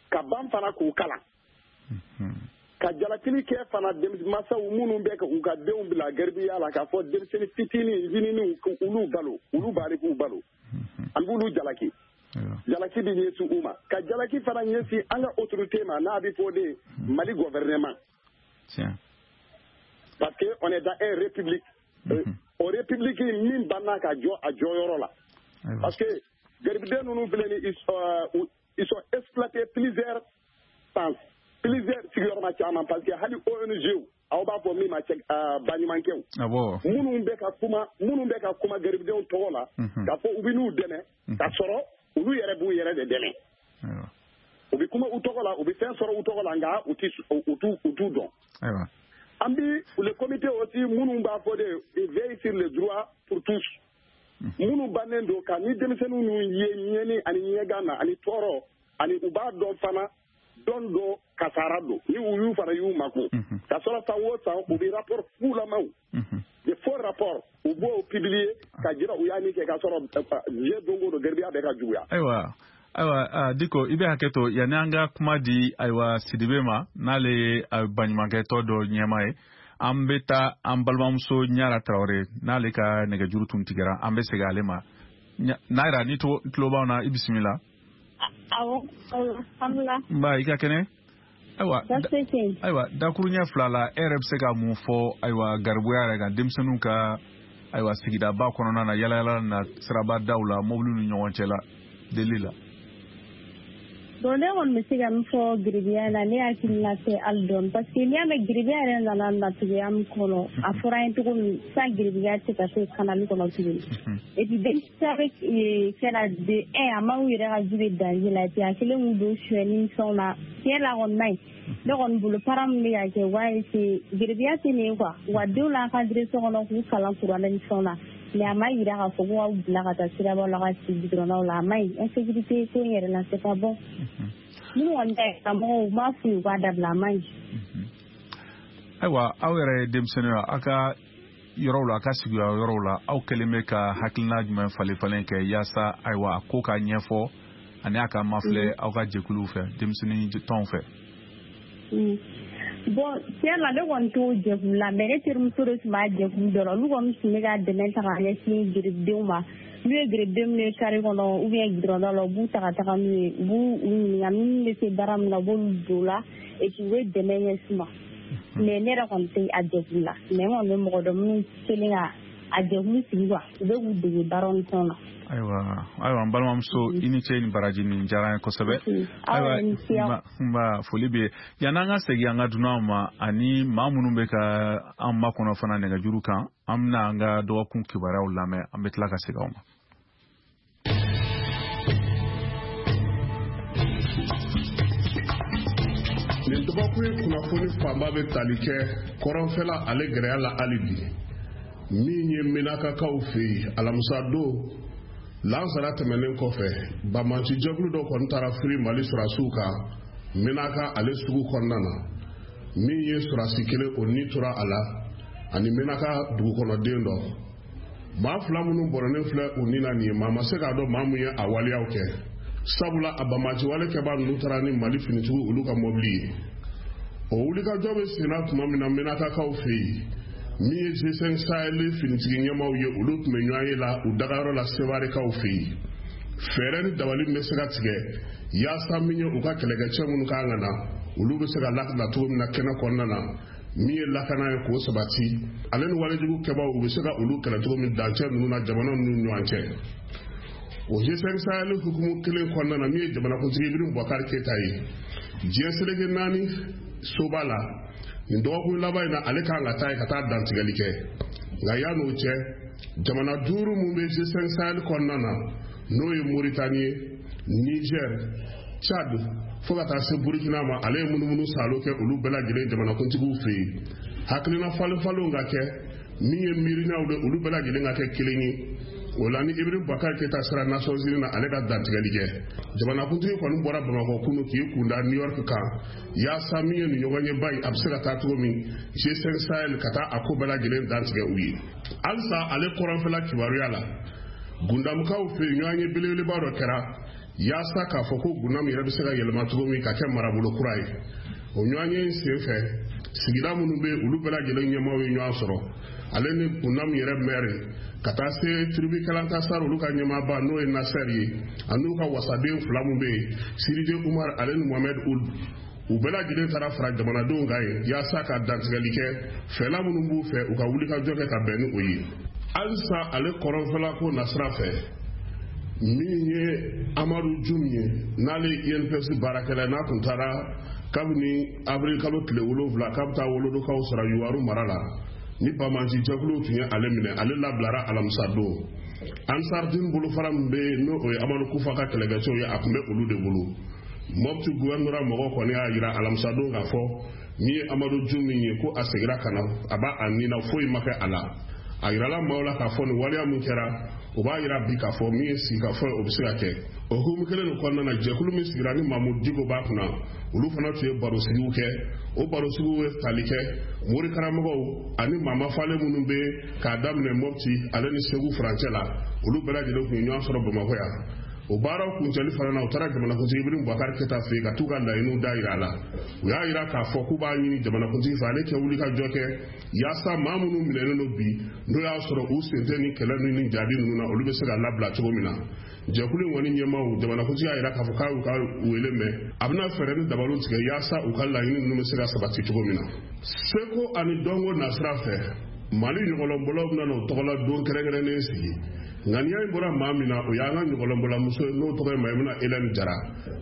ka ban fana k'u kalan, ka jalakili kɛ fana masaw minnu bɛ k'u ka denw bila garibuya la, k'a fɔ denmisɛnnin fitinin ɲininiw olu balo, olu bari k'u balo, an b'olu jalaki. Jalaki bɛ ɲɛsin u ma, ka jalaki fana ɲɛsin an ka autorité ma, n'a bɛ fɔ de Mali gouvernement. Parce que on est dans une république. O république min banna ka jɔ a jɔyɔrɔ la. Parce que garibuden ninnu filɛ ni, ils sont exploités plusieurs sens, plusieurs sigiyɔrɔma caman, parce que hali O N G aw b'a fɔ min ma baɲumankɛw, minnu bɛ ka kuma, minnu bɛ ka kuma garibudenw tɔgɔ la, k'a fɔ u bɛ n'u dɛmɛ, k'a sɔrɔ olu yɛrɛ b'u yɛrɛ de dɛmɛ. U bɛ kuma u tɔgɔ la, u bɛ fɛn sɔrɔ u tɔgɔ la, nka u t'u u t'u dɔn. An bi le comité aussi minnu b'a fɔ de veille sur les droits pour tous, minnu bannen don ka ni denmisɛnninw ninnu ye ɲɛni ani ɲɛgan na ani tɔɔrɔ, ani u b'a dɔn fana dɔn dɔ kasara don, ni u y'u fana y'u mako, ka sɔrɔ san o san u bɛ rapport fulamaw, de faux rapport u b'o publier ka jira u y'a min kɛ, ka sɔrɔ diɲɛ don o don garibuya bɛ ka juguya. Ayiwa, ayiwa Diko, i bɛ hakɛ to yanni an ka kuma di ayiwa Sidibe ma, n'ale ye baɲumankɛtɔ dɔ ɲɛmaa ye, an bɛ taa an balimamuso Ɲara Tarawele, n'ale ka nɛgɛjuru tun tigɛra, an bɛ segin ale ma. Nayira, ni tulo b'anw na, i bisimila. Awɔ, alhamdulilah. Nba, i ka kɛnɛ? Ayiwa, ayiwa dakuruɲɛ fila la, e yɛrɛ bɛ se ka mun fɔ ayiwa garibuya yɛrɛ kan, denmisɛnninw ka ayiwa sigidaba kɔnɔna na, yalayala na, siraba daw la, mobiliw ni ɲɔgɔn cɛ la, deli la? Bon, ne kɔni bɛ se ka min fɔ garibuya la, ne hakilina tɛ hali dɔɔni, parce que n'i y'a mɛn garibuya yɛrɛ nana natigiya min kɔnɔ, a fɔra an ye cogo min, san garibuya tɛ ka se kanali kɔnɔ tuguni. Et puis denmisɛnnin bɛ fɛn na de un, a ma u yɛrɛ ka ji bɛ danger la, et puis a kɛlen k'u don sonyɛni ni fɛnw na, tiɲɛ la kɔni man ɲi. Ne kɔni bolo parents min bɛ ka kɛ, u b'a essayer garibuya tɛ nin ye quoi, u ka denw encadrer so kɔnɔ k'u kalan kuranɛ ni fɛnw na, mais a ma yira k'a fɔ ko k'aw bila ka taa sirabaw la ka sigi goudronnaw la, a ma ɲi. Insécurité ko in yɛrɛ la, c'est pas bon. Minnu kɔni ta ye karamɔgɔw, u m'a f'u ye u k'a dabila, a ma ɲi. Ayiwa, aw yɛrɛ ye denmisɛnninw ye, aw ka yɔrɔw la, a ka sigiyɔrɔ yɔrɔw la, aw kɛlen bɛ ka hakilina jumɛn falen falen kɛ yaasa ayiwa a ko ka ɲɛfɔ ani a ka mafilɛ aw ka jɛkuluw fɛ, denmisɛnnin tɔnw fɛ? Bon, tiɲɛ la ne kɔni t'o jɛkulu la, mais ne terimuso de tun b'a jɛkulu dɔ la, olu kɔni tun bɛ ka dɛmɛ ta k'a ɲɛsin garibudenw ma. N'u ye garibudenw minɛ carré kɔnɔ ou bien goudron la, u b'u ta ka taga n'u ye, u b'u ɲininka minnu bɛ se baara min na, u b'olu don o la, et puis u bɛ dɛmɛ ɲɛsin u ma. Mais ne yɛrɛ kɔni tɛ a jɛkulu la, mais n kɔni bɛ mɔgɔ dɔn minnu kɛlen ka a jɛkulu sigi quoi, u bɛ k'u dege baaraw ni fɛnw na. Ayiwa, ayiwa n balimamuso, i ni ce ni baraji, nin diyara n ye kosɛbɛ. Ayiwa, nba, foli bɛ yan'an ka segin an ka dunanw ma ani maa minnu bɛ ka an makɔnɔ fana nɛgɛjuru kan, an bɛna an ka dɔgɔkun kibaruyaw lamɛn, an bɛ tila ka segin aw ma. Nin dɔgɔkun ye kunnafoni fanba bɛ tali kɛ kɔrɔnfɛla ale gɛrɛya la hali bi, min ye Menakakaw fɛ yen alamisa don lansara tɛmɛnen kɔfɛ, banbanci jɛkulu dɔ kɔni taara firi Mali sɔrɔdasiw kan Menaka ale sugu kɔnɔna na, min ye sɔrɔdasi kelen o ni tora a la ani Menaka dugukɔnɔden dɔ. Maa fila minnu bɔrɔnen filɛ u ni na nin ye, maa ma se k'a dɔn maa mun ye a waleyaw kɛ, sabula a banbanci wale kɛbaa ninnu taara ni Mali finitigiw olu ka mɔbili ye. O wulikajɔ bɛ senna tuma min na Menakakaw fɛ yen, min ye G cinq Sahel finitigi ɲɛmaaw ye, olu tun bɛ ɲɔgɔn ye la u dagayɔrɔ la Sewarekaw fɛ yen. Fɛɛrɛ ni dabali min bɛ se ka tigɛ yaasa min ye u ka kɛlɛkɛcɛ minnu kan ka na, olu bɛ se ka lakana cogo min na kɛnɛ kɔnɔna na, min ye lakana ye k'o sabati, ale ni walejugu kɛbaaw u bɛ se ka olu kɛlɛ cogo min dancɛ ninnu na jamana ninnu ni ɲɔgɔn cɛ. O G cinq Sahel hukumu kelen kɔnɔna na, min ye jamanakuntigi Ibrahim Boubacar Keita ye, diɲɛ seleke naani soba la nin dɔgɔkun laban in na, ale kan ka taa yen ka taa dantigɛli kɛ. Nka yan'o cɛ, jamana duuru mun bɛ G cinq Sahel kɔnɔna na, n'o ye Mauritanie, Niger, Tchad fo ka taa se Burkina ma, ale ye munumunu salo kɛ olu bɛɛ lajɛlen jamanakuntigiw fɛ yen. Hakilina falen falenw ka kɛ min ye miirinaw de, olu bɛɛ lajɛlen ka kɛ kelen ye. O la ni Ibrahim Boubacar Keita sera Nations Unies na, ale ka dantigɛli kɛ. Jamanakuntigi kɔni bɔra Bamakɔ kunu k'i kunda New York kan yaasa min ye nin ɲɔgɔnyeba in a bɛ se ka taa cogo min G cinq Sahel ka taa a ko bɛɛ lajɛlen dantigɛ u ye. Halisa ale kɔrɔnfɛla kibaruya la, Gundamukaw fɛ yen ɲɔgɔnye belebeleba dɔ kɛra yaasa k'a fɔ ko Gundam yɛrɛ bɛ se ka yɛlɛma cogo min ka kɛ marabolo kura ye. O ɲɔgɔnye in senfɛ, sigida minnu bɛ yen olu bɛɛ lajɛlen ɲɛmaaw ye ɲɔgɔn sɔrɔ, ale ni Gundam yɛrɛ mɛri ka taa se tribu Kalantasar olu ka ɲɛmaaba n'o ye Nasser ye, ani n'u ka wasaden fila min bɛ yen, Siride Umar ale ni Mohamed Ould, u bɛɛ lajɛlen taara fara jamanadenw kan yen yaasa ka dantigɛli kɛ fɛla minnu b'u fɛ u ka wulikajɔ kɛ ka bɛn ni o ye. Halisa ale kɔrɔnfɛla ko nasira fɛ, min ye Amadu Jum ye, n'ale ye I N P S baarakɛla ye, n'a tun taara kabini avril kalo tile wolonwula k'a bɛ taa wolodokaw sɔrɔ Yuwaru mara la, ni banbanci jɛkuluw tun ye ale minɛ, ale labilara alamisa don. Ansardine bolofara min bɛ yen n'o ye Amadu Kufa ka kɛlɛkɛcɛw ye, a tun bɛ olu de bolo. Mopti gouvernorat mɔgɔw kɔni y'a jira alamisa don k'a fɔ min ye Amadu Jum min ye, ko a seginna ka na, a b'a a nin na, foyi ma kɛ a la. A yirala maaw la k'a fɔ nin waleya min kɛra, o b'a yira bi k'a fɔ min ye sigikafɔ ye, o bɛ se ka kɛ. O hukumu kelen nin kɔnɔna na, jɛkulu min sigira ni Mamudu Diko b'a kunna, olu fana tun ye barosigiw kɛ. O barosigiw ye tali kɛ mori karamɔgɔw ani maamafalen minnu bɛ k'a daminɛ Mopti ale ni Segu furancɛ la, olu bɛɛ lajɛlen tun ye ɲɔgɔn sɔrɔ Bamakɔ yan. O baaraw kuncɛli fana na, u taara jamanakuntigi Ibrahim Boubacar Keita fɛ yen ka t'u ka laɲiniw da yira a la. U y'a yira k'a fɔ k'u b'a ɲini jamanakuntigi fɛ ale kɛ wuli ka jɔ kɛ yaasa maa minnu minɛnen don bi, n'o y'a sɔrɔ u sen tɛ ni kɛlɛ ninnu ni jaabi ninnu na, olu bɛ se ka labila cogo min na. Jɛkulu in kɔni ɲɛmaaw, jamanakuntigi y'a yira k'a fɔ k'a y'u ka wele mɛn, a bɛna fɛɛrɛ ni dabaliw tigɛ yaasa u ka laɲini ninnu bɛ se ka sabati cogo min na. Seko ani dɔnko nasira fɛ, Mali ɲɔgɔlɔnbɔlaw bɛna n'o tɔgɔla don kɛrɛnkɛrɛnnen sigi. Ŋaniya in bɔra maa min na, o y'an ka ɲɔgɔlɔnbɔlamuso ye, n'o tɔgɔ ye Mayimuna Hélène Jara.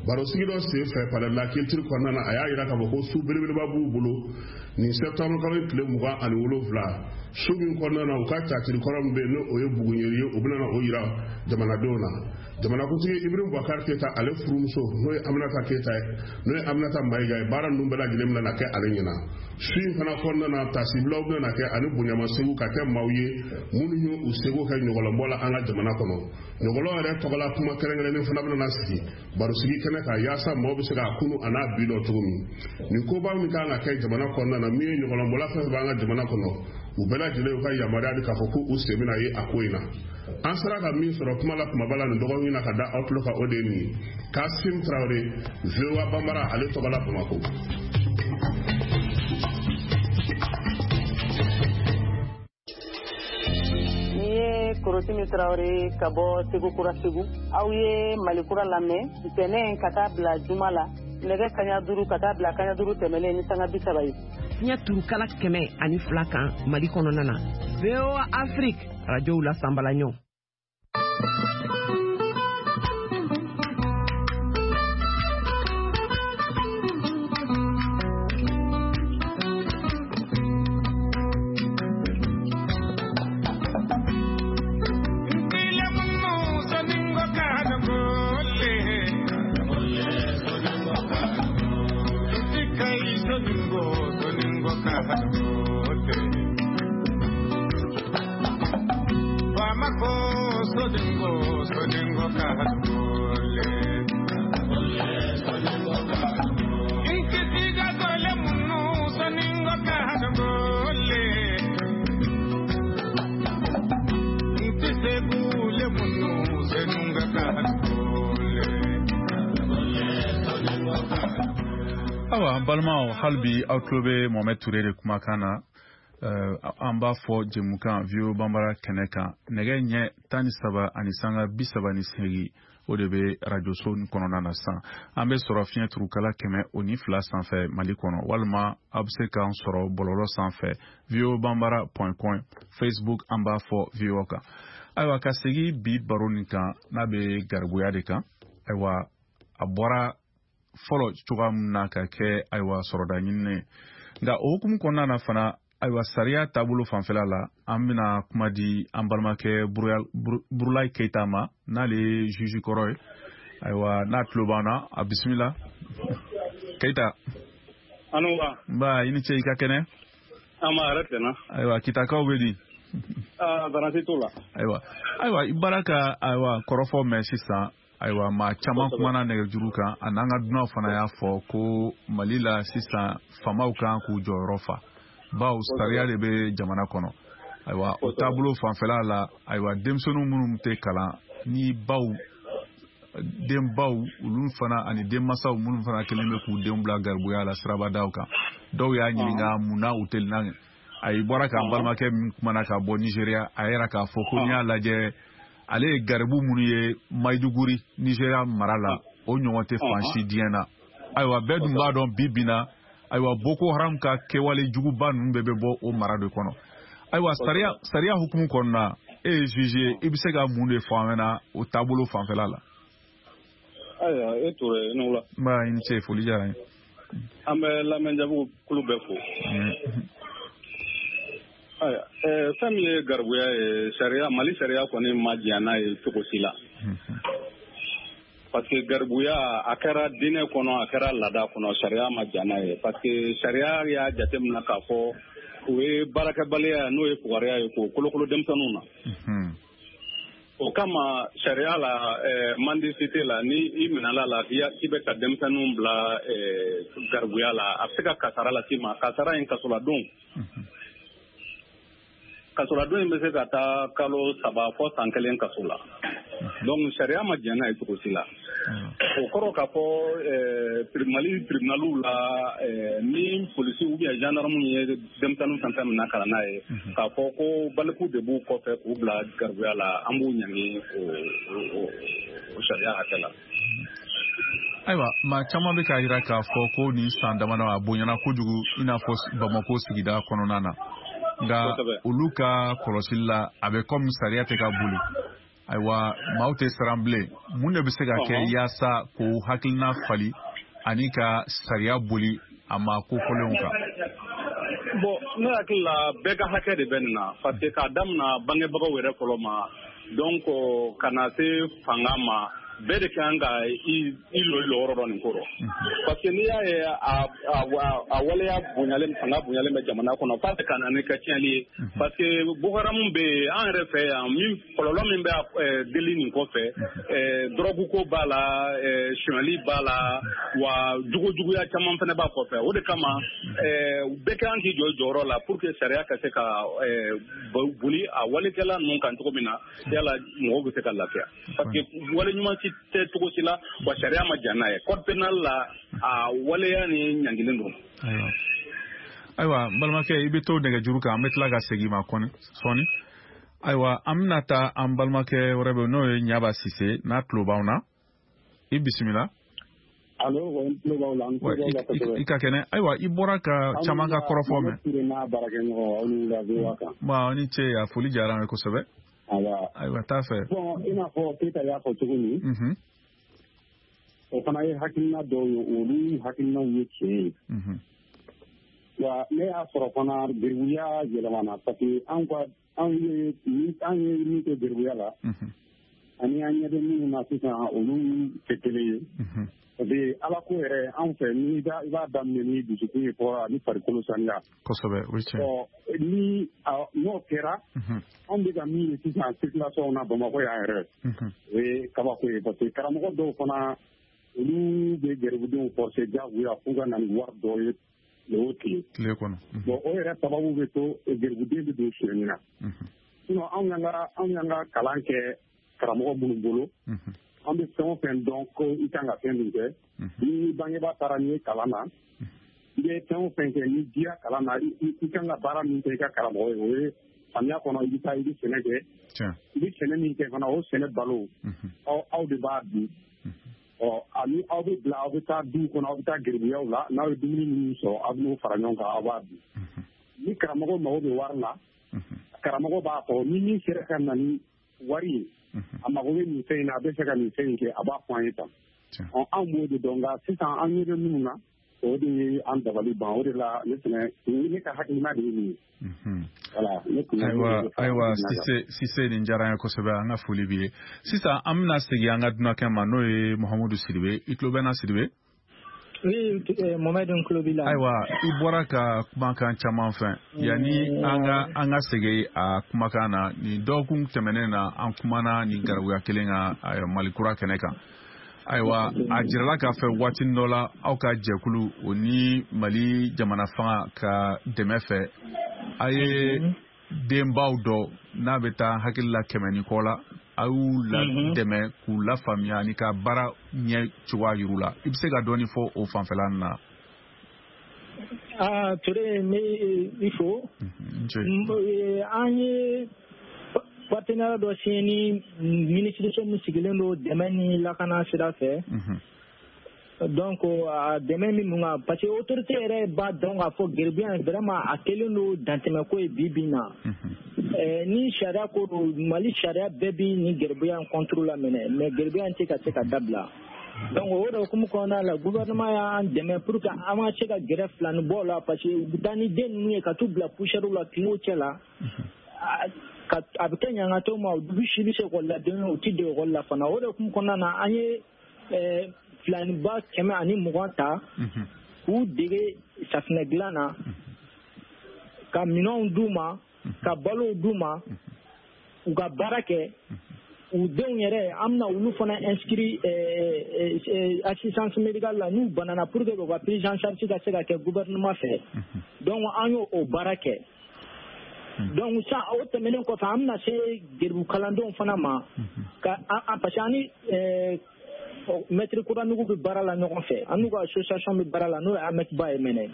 Barosigi dɔ sen fɛ palais de la culture kɔnɔna na, a y'a yira k'a fɔ ko su belebeleba b'u bolo nin septembre kalo tile mugan ani wolonwula, su min kɔnɔna na u ka catiri kɔrɔ min bɛ yen n'o ye Buguɲeri ye, u bɛna na o yira jamanadenw na. Jamanakuntigi Ibrahim Boubacar Keita ale furumuso n'o ye Aminata Keita ye, n'o ye Aminata Mayiga ye, baara ninnu bɛɛ lajɛlen bɛna na kɛ ale ɲɛna. Su in fana kɔnɔna na, tasibilaw bɛna na kɛ ani bonyamasegu ka kɛ maaw ye minnu ye u seko kɛ ɲɔgɔlɔnbɔ la an ka jamana kɔnɔ. Ɲɔgɔlɔn yɛrɛ tɔgɔla kuma kɛrɛnkɛrɛnnen fana bɛna na sigi barosigi kɛnɛ kan yaasa maaw bɛ se k'a kunu a n'a bi dɔn cogo min. Nin koba min kan ka kɛ jamana kɔnɔna na, min ye ɲɔgɔlɔnbɔla fɛn fɛn b'an ka jamana kɔnɔ, u bɛɛ lajɛlen y'u ka yamaruya di k'a fɔ ko u sen bɛna ye a ko in na. An sera ka min sɔrɔ kuma la kumaba la nin dɔgɔkun in na ka da aw tulo kan, o de ye nin ye. Kasim Traoré, V O A Bambara, ale tɔgɔ la Bamakɔ. Ni ye Korotimi Traoré ka bɔ Segu Kura Segu. Aw ye Mali Kura lamɛn ntɛnɛn ka taa bila juma la nɛgɛ kaɲa duuru ka taa bila kaɲa duuru tɛmɛnen ni sanga bi saba ye. Fiɲɛ turukala kɛmɛ ani fila kan Mali kɔnɔna na. V O A Afrique, radio la sanbalaɲɔ. Soningo soningo kahadote Bamako soningo soningo kahadole soningo kahadole Inkisiga dole munu soningo kahadole Intisegu le munu senunga kahadole soningo kahadole. Awa, an balimaw, hali bi aw tulo bɛ Mohamed Touré de kumakan na. An b'a fɔ jɛmukan V O A Banbara kɛnɛ kan, nɛgɛ ɲɛ tan ni saba ani sanga bi saba ni seegin, o de bɛ arajoso kɔnɔna na sisan. An bɛ sɔrɔ fiɲɛ turukala kɛmɛ o ni fila sanfɛ Mali kɔnɔ, walima aw bɛ se k'an sɔrɔ bɔlɔlɔ sanfɛ, voabambara point com, Facebook an b'a fɔ V O A kan. Ayiwa, ka segin bi baro nin kan, n'a bɛ garibuya de kan. Ayiwa, a bɔra fɔlɔ cogoya min na ka kɛ, ayiwa, sɔrɔda ɲininen ye, nka o hukumu kɔnɔna na fana, ayiwa, sariya taabolo fanfɛla la, an bɛna kuma di an balimakɛ Burulayi Keyita ma, n'ale ye juge kɔrɔ ye. Ayiwa, n'a tulo b'an na, a bisimila, Keyita. Anuba. Nba, i ni ce, i ka kɛnɛ? An ma yɛrɛ tɛna. Ayiwa, Kitakaw bɛ di? Aa, baasi t'o la. Ayiwa, ayiwa, i bɔra ka, ayiwa, kɔrɔfɔ mɛn sisan. Ayiwa, maa caman kumana nɛgɛjuru kan, a n'an ka dunanw fana y'a fɔ ko Mali la sisan, faamaw kan k'u jɔyɔrɔ fa, bawo sariya de bɛ jamana kɔnɔ. Ayiwa, o taabolo fanfɛla la, ayiwa, denmisɛnnin minnu tɛ kalan ni baw denbaw olu fana ani denmansaw minnu fana kelen bɛ k'u denw bila garibuya la sirabadaw kan, dɔw y'a ɲininka mun na u tɛ na. A y'i bɔra k'an balimakɛ min kumana ka bɔ Nizeriya, a yɛrɛ k'a fɔ ko n'i y'a lajɛ, ale ye garibu minnu ye Maiduguri, Nizeriya mara la, o ɲɔgɔn tɛ fan si diɲɛ na. Ayiwa, bɛɛ dun b'a dɔn bi bi na, ayiwa, Boko Haram ka kɛwale juguba ninnu bɛɛ bɛ bɔ o mara de kɔnɔ. Ayiwa, sariya sariya hukumu kɔnɔna, e ye juge ye, i bɛ se ka mun de fɔ an ɲɛna o taabolo fanfɛla la? Ayiwa, e Touré, i ni wula. Nba, i ni ce, foli diyara n ye. An bɛ lamɛnjabu kulu bɛɛ fo. Ayiwa, fɛn min ye garibuya ye, sariya, Mali sariya kɔni ma diɲɛ n'a ye cogo si la. Parce que garibuya, a kɛra diinɛ kɔnɔ, a kɛra laada kɔnɔ, sariya ma diɲɛ n'a ye. Parce que sariya y'a jateminɛ k'a fɔ o ye baarakɛbaliya, n'o ye fugariya ye, k'o kolokolo denmisɛnninw na. O kama sariya la, mendicité la, ni i minɛla la k'i bɛ ka denmisɛnninw bila garibuya la, a bɛ se ka kasara las'i ma. Kasara in, kasoladon. Kasoladon in bɛ se ka taa kalo saba fɔ san kelen kaso la. Donc sariya ma jɛn n'a ye cogo si la. O kɔrɔ k'a fɔ Mali tribunaliw la, ni polisi ou bien gendarme ye denmisɛnnin fɛn fɛn minɛ ka na n'a ye, k'a fɔ ko baliku de b'u kɔfɛ k'u bila garibuya la, an b'u ɲangi o sariya hakɛ la. Ayiwa, maa caman bɛ k'a jira k'a fɔ ko nin san damadɔ, a bonyana kojugu, i n'a fɔ Bamako sigida kɔnɔna na. Nka olu ka kɔlɔsili la, a bɛ komi sariya tɛ ka boli. Ayiwa, maaw tɛ siran bilen. Mun de bɛ se ka kɛ yaasa k'o hakilina fali ani ka sariya boli a ma ko fɔlenw kan? Bon, ne hakili la, bɛɛ ka hakɛ de bɛ nin na, parce que k'a daminɛ bangebagaw yɛrɛ fɔlɔ ma, donc ka na se fanga ma, bɛɛ de kan ka i lɔ i lɔyɔrɔ dɔn nin ko rɔ. Parce que n'i y'a ye a a waleya bonyalen, fanga bonyalen bɛ jamana kɔnɔ, f'a bɛ ka na ni kɛ tiɲɛni ye. Parce que Boko Haram bɛ yen an yɛrɛ fɛ yan, min kɔlɔlɔ min bɛ deli nin kɔfɛ, dɔrɔgu ko b'a la, sonyali b'a la, wa jugujuguya caman fana b'a kɔfɛ. O de kama bɛɛ kan k'i jɔ i jɔyɔrɔ la pour que sariya ka se ka boli a walekɛla ninnu kan cogo min na, yala mɔgɔw bɛ se ka lafiya. Parce que wale ɲuman si tɛ cogo si la, wa sariya ma jɛn n'a ye. Code pénal la, a waleya ni ɲangilen don. Ayiwa, ayiwa, n balimakɛ, i bɛ to nɛgɛjuru kan, an bɛ tila ka segin i ma kɔni sɔɔni. Ayiwa, an bɛna taa an balimakɛ wɛrɛ bɛ, n'o ye Ɲaba Sise, n'a tulo b'anw na, i bisimila. Allo, n tulo b'aw la, n tulo b'aw la kosɛbɛ. I ka kɛnɛ? Ayiwa, i bɔra ka caman ka kɔrɔfɔ mɛn. Aw n'a baarakɛɲɔgɔn, aw ni wula V O A kan. Bon, ni ce, a foli diyara an ye kosɛbɛ. Awa. Ayiwa, taa fɛ. Bon, i n'a fɔ Keyita y'a fɔ cogo min, o fana ye hakilina dɔw ye, olu hakilinaw ye tiɲɛ ye. Wa ne y'a sɔrɔ fana geribuya yɛlɛmana, parce que anw ka anw ye an ye min kɛ geribuya la, ani an ɲɛ bɛ minnu na sisan, olu tɛ kelen ye. Parce que ala ko yɛrɛ anw fɛ ni i b'a daminɛ ni dusukun ye fɔlɔ ani farikolo saniya. Kosɛbɛ, o ye tiɲɛ. Ɔ ni n'o kɛra, anw bɛ ka min ye sisan circulation na Bamakɔ yan yɛrɛ, o ye kabako ye parce que karamɔgɔ dɔw fana olu bɛ garibudenw forcer diyagoya f'u ka na ni wari dɔ ye tile o tile. Tile kɔnɔ. Bon o yɛrɛ sababu bɛ to garibuden bɛ don sonyɛni na. Sinon anw y'an ka anw y'an ka kalan kɛ karamɔgɔ minnu bolo. An bɛ fɛn o fɛn dɔn ko i kan ka fɛn min kɛ, ni bangebaa taara n'i ye kalan na, i bɛ fɛn o fɛn kɛ n'i dira kalan na, i kan ka baara min kɛ i ka karamɔgɔ ye, o ye samiya kɔnɔ i bɛ taa i bɛ sɛnɛ kɛ, i bɛ sɛnɛ min kɛ fana o sɛnɛ balo aw aw de b'a dun. Ɔ ani aw bɛ bila aw bɛ taa duw kɔnɔ, aw bɛ taa geribuyaw la, n'aw ye dumuni minnu sɔrɔ aw bɛ n'o fara ɲɔgɔn kan aw b'a dun. Ni karamɔgɔ mago bɛ wari la, karamɔgɔ b'a fɔ ni min sera ka na ni wari ye, a mago bɛ nin fɛn in na, a bɛ fɛ ka nin fɛn in kɛ, a b'a fɔ an ye tan. Ɔ anw b'o de dɔn, nka sisan an ɲɛ bɛ minnu na, o de ye an dabali ban. O de la ne fɛnɛ ne ka hakilina de ye nin ye. Voilà, ne kun ayiwa ayiwa Sise Sise nin diyara an ye kosɛbɛ, an ka foli b'i ye. Sisan an bɛna segin an ka dunankɛ ma, n'o ye Muhamadu Sidibe. I tulo bɛ n na Sidibe? Oui, Mohamed, n tulo b'i la. Ayiwa, i bɔra ka kumakan caman fɛn. Yanni an ka an ka segin a kumakan na, nin dɔgɔkun tɛmɛnen na an kumana nin garibuya kelen kan Mali kura kɛnɛ kan. Ayiwa, a jirala k'a fɛ waati dɔ la aw ka jɛkulu o ni Mali jamana fanga ka dɛmɛ fɛ, a ye denbaw dɔ n'a bɛ taa hakili la kɛmɛ ni kɔ la, a y'u la dɛmɛ k'u lafaamuya ani ka baara ɲɛ cogoya yir'u la. I bɛ se ka dɔɔni fɔ o fanfɛla nin na? Aa Ture, ne i fo. An ye partenariat dɔ signé ni minisiriso min sigilen don dɛmɛ ni lakana sira fɛ. Donc a dɛmɛ min mun kan, parce que autorité yɛrɛ b'a dɔn k'a fɔ geribuya in vraiment a kɛlen don dantɛmɛko ye bi bi in na. Ni sariya ko don, Mali sariya bɛɛ bi nin geribuya in contre la minɛ, mais geribuya in tɛ ka se ka dabila. Donc o de hukumu kɔnɔna la, gouvernement y'an dɛmɛ pour que an ka se ka gɛrɛ filanibɔw la, parce que u bɛ taa ni den ninnu ye ka t'u bila poussière la kungo cɛ la. A bɛ kɛ ɲangatɔ ma, u bɛ si bɛ se ekɔli la den u tɛ don ekɔli la fana. O de hukumu kɔnɔna na, an ye filaniba kɛmɛ ani mugan ta k'u dege safinɛ dilan na, ka minɛnw d'u ma, ka balow d'u ma, u ka baara kɛ. U denw yɛrɛ an bɛna olu fana inscrit assistance médicale la n'u banana, pour que u ka prise en charge ka se ka kɛ gouvernement fɛ. Donc an y'o o baara kɛ. Donc sa o tɛmɛnen kɔfɛ, an bɛna se geribu kalandenw fana ma, ka parce que an ni maître Kuranugu bɛ baara la ɲɔgɔn fɛ, an n'u ka association bɛ baara la, n'o ye A M E C ba ye mɛnɛ.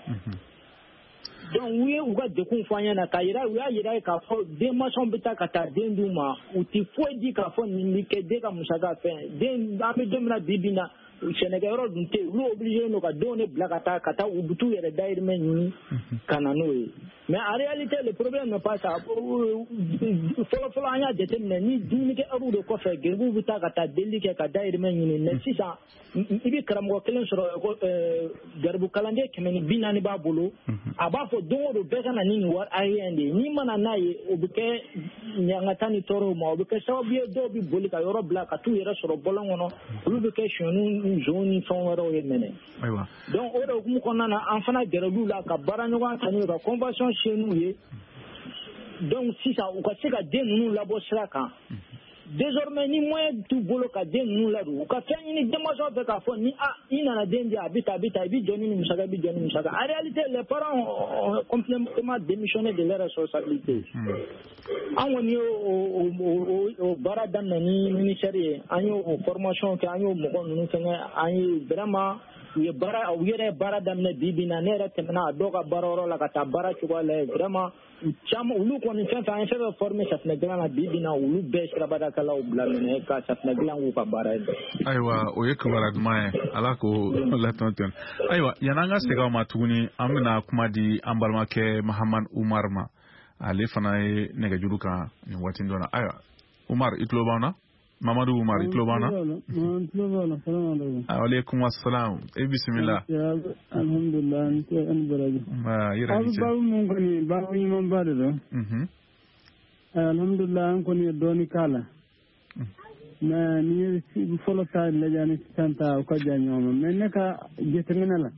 Donc u ye u ka degun fɔ an ɲɛna, k'a yira u y'a yira k'a fɔ denmansaw bɛ taa ka taa den d'u ma, u ti foyi di k'a fɔ nin bɛ kɛ den ka musaka fɛn. Den an bɛ don min na bi bi in na, sɛnɛkɛyɔrɔ dun tɛ yen, olu obligé don ka denw de bila ka taa ka taa u bɛ t'u yɛrɛ dahirimɛ ɲini ka na n'o ye. Mais en réalité le problème n'est pas ça. Fɔlɔ fɔlɔ an y'a jateminɛ ni dumunikɛ heure de kɔfɛ, geribuw bɛ taa ka taa delili kɛ ka dahirimɛ ɲini. Mais sisan i bɛ karamɔgɔ kelen sɔrɔ, garibu kalanden kɛmɛ ni bi naani b'a bolo, a b'a fɔ don o don bɛɛ ka na ni nin wari hakɛya de ye. N'i ma na n'a ye, o bɛ kɛ ɲangata ni tɔɔrɔw ma, o bɛ kɛ sababu ye dɔw bɛ boli ka yɔrɔ bila ka t'u yɛrɛ sɔrɔ bɔlɔn kɔnɔ, olu bɛ kɛ sonyɛniw, zonw ni fɛn wɛrɛw ye mɛnɛ. Donc o de hukumu kɔnɔna na, an fana gɛrɛl'u la ka baara ɲɔgɔn kan n'u ye, ka convention signé n'u ye. Donc sisan u ka se ka den ninnu labɔ sira kan. Désormais ni moyen t'u bolo ka den ninnu ladon, u ka fɛn ɲini denmansaw fɛ k'a fɔ ni a i nana den di, a bɛ tan a bɛ tan, i bɛ jɔ ni nin musaka, i bɛ jɔ ni musaka. En réalité les parents ont complètement démissionné de leur responsabilité. An kɔni y'o o baara daminɛ ni ministère ye, an y'o formation kɛ, an y'o mɔgɔ ninnu fɛngɛ, an ye vraiment u ye baara, u yɛrɛ ye baara daminɛ bi bi in na. Ne yɛrɛ tɛmɛna a dɔw ka baara yɔrɔ la ka taa baara cogoya lajɛ, vraiment u caman olu kɔni fɛn fɛn an ye fɛn fɛn formé safinɛ dilan na bi bi in na, olu bɛɛ sirabadakɛlaw bila minɛ ka safinɛ dilan k'u ka baara ye. Ayiwa, o ye kibaruya duman ye, Ala k'o latɔn tɔn. Ayiwa, yan'an ka segin aw ma tuguni, an bɛna kuma di an balimakɛ Mahamadu Umar ma, ale fana ye nɛgɛjuru kan nin waati dɔ la. Ayiwa Umar, i tulo b'an na? Mamadou Umar, i tulo b'an na? N tulo b'a la, salamu aleykum. Aleykum assalam. E bisimila. Alhamdulilah, n tɛ an baraji. Nba, i yɛrɛ ni ce. Aw bɛ baabu mun kɔni, baabu ɲumanba de don. Alhamdulilah, an kɔni ye dɔɔni k'a la. Mais n'i ye fɔlɔ ta lajɛ ni sisan ta o ka jan ɲɔgɔn ma, mais ne ka jateminɛ la,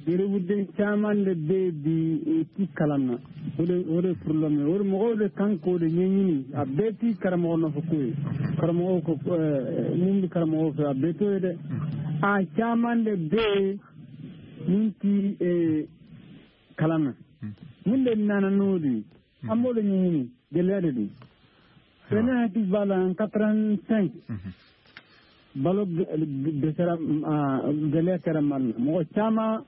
geribuden caman de bɛ bi u ti kalan na. O de o de problème ye. O de mɔgɔw de kan k'o de ɲɛɲini. A bɛɛ ti karamɔgɔ nɔfɛ ko ye. Karamɔgɔw ko mun bɛ karamɔgɔw fɛ, a bɛɛ t'o ye dɛ. A caman de bɛ yen mun ti kalan na. Mun de nana n'o de ye, an b'o de ɲɛɲini. Gɛlɛya de don. Ne hakili b'a la en quatre-vingt-cinq balo dɛsɛra, gɛlɛya kɛra Mali la. Mɔgɔ caman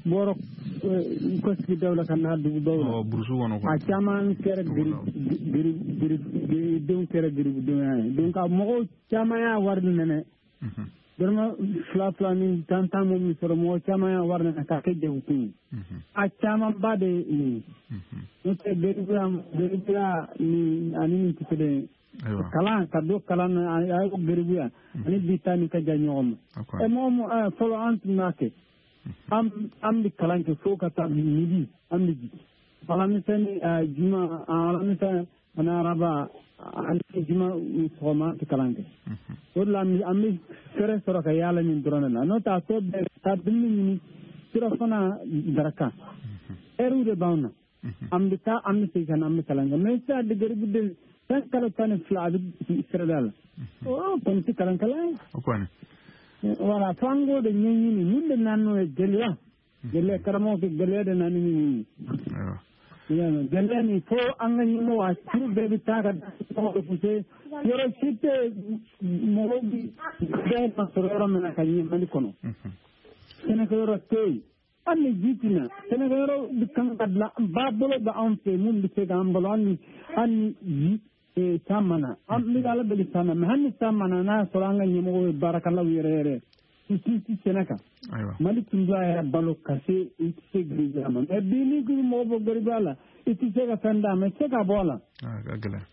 bɔra u ka sigidaw la ka na dugubaw la. Burusu kɔnɔ. A caman kɛra denw kɛra geribudenw ye. Donc a mɔgɔw caman y'a wari nɛnɛ. Dɔrɔmɛ fila fila ni tan tan min sɔrɔ, mɔgɔ caman y'a wari nɛnɛ k'a kɛ jagokun ye. A camanba de ye nin ye. N'o tɛ geribuya geribuya ni ani nin tɛ kelen ye. Kalan ka don kalan na, a ye geribuya ani bi ta ni ka jan ɲɔgɔn ma. Ɛ mɔgɔ mun fɔlɔ an tun b'a kɛ. An an bɛ kalan kɛ fo ka taa midi, an bɛ jigin. Alamisa ni juma, alamisa ani araba ani juma sɔgɔma an tɛ kalan kɛ. O de la an bɛ fɛɛrɛ sɔrɔ ka yaala nin dɔrɔn de la. N'o tɛ a tɔ bɛɛ ka dumuni ɲini, surafana daraka. Ɛriw de b'anw na. An bɛ taa, an bɛ segin ka na, an bɛ kalan kɛ. Mais sisan geribuden san kalo tan ni fila a bɛ sirada la. O kɔni tɛ kalan kalan ye. O kɔni. Voilà, fo an k'o de ɲɛɲini. Mun de nana n'o ye? Gɛlɛya. Gɛlɛya, karamɔgɔ kɛ gɛlɛya de nana ni nin ye. Gɛlɛya nin fo an ka ɲɛmɔgɔ a turu bɛɛ bɛ taa ka mɔgɔ repoussé. Yɔrɔ si tɛ mɔgɔw bɛ bɛɛ ma sɔrɔ yɔrɔ min na ka ɲɛ Mali kɔnɔ. Sɛnɛkɛyɔrɔ tɛ yen. Hali ni ji tɛ na, sɛnɛkɛyɔrɔ bɛ kan ka dilan, ba bolo bɛ anw fɛ mun bɛ se k'an balo hali ni hali ni ji san mana. An bɛ Ala deli san na, mais hali ni san mana, n'a y'a sɔrɔ an ka ɲɛmɔgɔw ye baarakɛlaw yɛrɛ yɛrɛ i t'i sɛnɛ kan. Mali tun b'a yɛrɛ balo ka se i tɛ se geribuya ma. Mais bi n'i ko mɔgɔ bɔ geribuya la, i tɛ se ka fɛn d'a ma, i tɛ se ka bɔ a la. A ka gɛlɛn.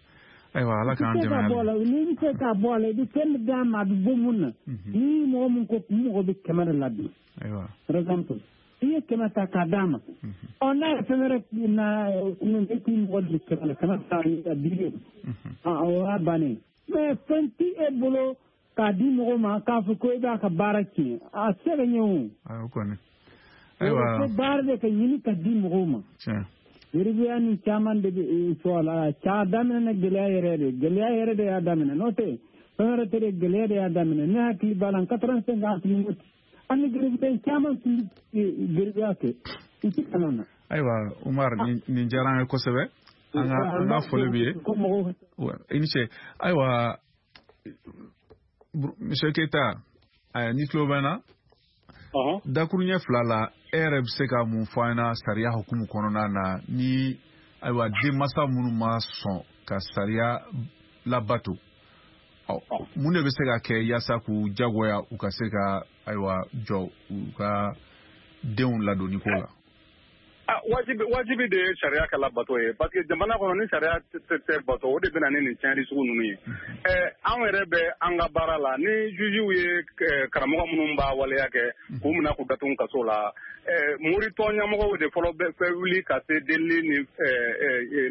Ayiwa, Ala k'an dɛmɛ. I tɛ se ka bɔ a la, n'i bɛ se ka bɔ a la, i bɛ fɛn d'a ma a bɛ bɔ mun na. Ni mɔgɔ min ko n mɔgɔ bɛ kɛmɛ de la bi. Ayiwa. Par exemple, i ye kɛmɛ ta k'a d'a ma. Ɔ n'a ye fɛn wɛrɛ na, e k'i mɔgɔ di kɛmɛ la, kɛmɛ ta a bi o y'a bannen. Mais fɛn ti e bolo k'a di mɔgɔ ma k'a fɔ ko i b'a ka baara tiɲɛ, a tɛ se ka ɲɛ o. O kɔni. Ayiwa. Fo baara de ka ɲini ka di mɔgɔw ma. Tiɲɛ. Geribuya ni caman de bɛ fɔ a la. A daminɛ na gɛlɛya yɛrɛ de, gɛlɛya yɛrɛ de y'a daminɛ. N'o tɛ fɛn wɛrɛ tɛ dɛ, gɛlɛya de y'a daminɛ. Ne hakili b'a la quatre-vingt-cinq ans tun bɛ an ni geribuden caman tun bɛ geribuya kɛ, u tɛ kalan na. Ayiwa Umar, nin diyara an ye kosɛbɛ. An ka an ka foli b'i ye. I ni ce. Ayiwa Monsieur Keita, ni tulo bɛ n na. Dakuruɲɛ fila la, e yɛrɛ bɛ se ka mun fɔ an ɲɛna sariya hukumu kɔnɔna na ni ayiwa denmansa minnu ma sɔn ka sariya labato, mun de bɛ se ka kɛ yaasa k'u jagoya u ka se ka ayiwa jɔ u ka denw ladonni ko la? Wajibi wajibi de ye sariya ka labato ye, parce que jamana kɔnɔ ni sariya tɛ bato, o de bɛ na ni nin tiɲɛni sugu ninnu ye. Ɛ anw yɛrɛ bɛ an ka baara la, ni jugew ye karamɔgɔ minnu b'a waleya kɛ k'u minɛ k'u datugu kaso la, moritɔn ɲɛmɔgɔw de fɔlɔ bɛ wuli ka se delili ni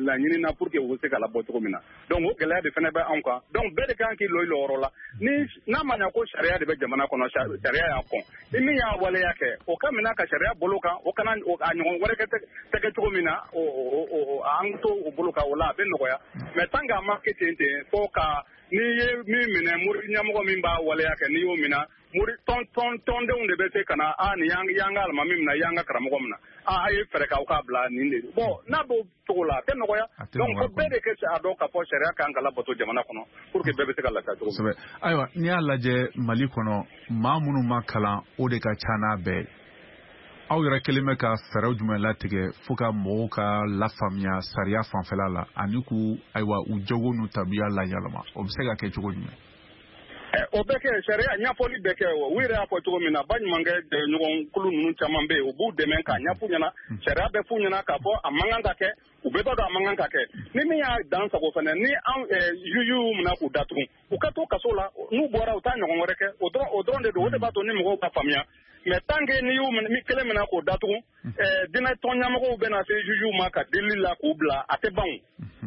laɲini na pour que u bɛ se ka labɔ cogo min na. Donc o gɛlɛya de fana bɛ anw kan. Donc bɛɛ de kan k'i lɔ i lɔyɔrɔ la. Ni n'a ma ɲɛ ko sariya de bɛ jamana kɔnɔ, sariya y'a kɔn, ni min y'a waleya kɛ, o ka minɛ ka sariya bolo kan, o kana a ɲɔgɔn wɛrɛ kɛ tɛ cogo min na, an to o bolo kan, o la a bɛ nɔgɔya. Mais tant que a ma kɛ ten ten, fo ka n'i ye min minɛ, mori ɲɛmɔgɔ min b'a waleya kɛ, n'i y'o minɛ, mori tɔn tɔn tɔndenw de bɛ se ka na, a nin y'an ka alimami minɛ, y'an ka karamɔgɔ minɛ, a a ye fɛɛrɛ k'aw k'a bila nin de. Bon n'a b'o cogo la, a tɛ nɔgɔya. Donc fo bɛɛ de kɛ a dɔn k'a fɔ sariya kan ka labato jamana kɔnɔ pour que bɛɛ bɛ se ka lafiya cogo min. Ayiwa, n'i y'a lajɛ Mali kɔnɔ, maa minnu ma kalan, o de ka ca n'a bɛɛ ye. Aw yɛrɛ kelen bɛ ka fɛɛrɛw jumɛn latigɛ fo ka mɔgɔw ka lafaamuya sariya fanfɛla la ani k'u ayiwa u jogo n'u tabiya layɛlɛma, o bɛ se ka kɛ cogo jumɛn? O bɛ kɛ sariya ɲɛfɔli bɛ kɛ, u yɛrɛ y'a fɔ cogo min na, baɲumankɛ ɲɔgɔnkulu ninnu caman bɛ yen, u b'u dɛmɛ k'a ɲɛf'u ɲɛna, sariya bɛ f'u ɲɛna k'a fɔ a man kan ka kɛ, u bɛɛ b'a dɔn a man kan ka kɛ. Ni min y'a dan sago fana, ni an jugew minɛ k'u datugu, u ka to kaso la, n'u bɔra u t'a ɲɔgɔn wɛrɛ kɛ, o dɔrɔn o dɔrɔn de don, o de b'a to ni mɔgɔw ka faamuya. Mais tant que n'i y'u minɛ, kelen minɛ k'o datugu, diinɛ tɔn ɲɛmɔgɔw bɛ na se jugew ma ka delili la k'u bila, a tɛ ban o.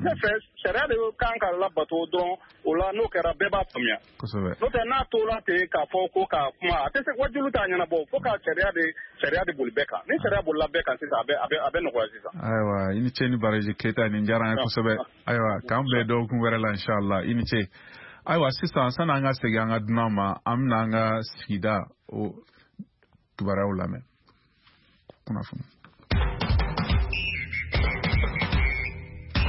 Ne fɛ sariya de kan ka labato dɔrɔn, o la n'o kɛra bɛɛ b'a faamuya. Kosɛbɛ. N'o tɛ n'a tora ten k'a fɔ ko ka kuma, a tɛ se wajulu t'a ɲɛnabɔ, fo ka sariya de sariya de boli bɛɛ kan. Ni sariya bolila bɛɛ kan sisan, a bɛ a bɛ a bɛ nɔgɔya sisan. Ayiwa, i ni ce ni baraji Keyita, nin diyara an ye kosɛbɛ. Ayiwa, k'an bɛn dɔgɔkun wɛrɛ la inshallah, i ni ce. Ayiwa, sisan sanni an ka segin an ka dunan ma, an bɛna an ka sigida o kibaruyaw lamɛn. Kunnafoni.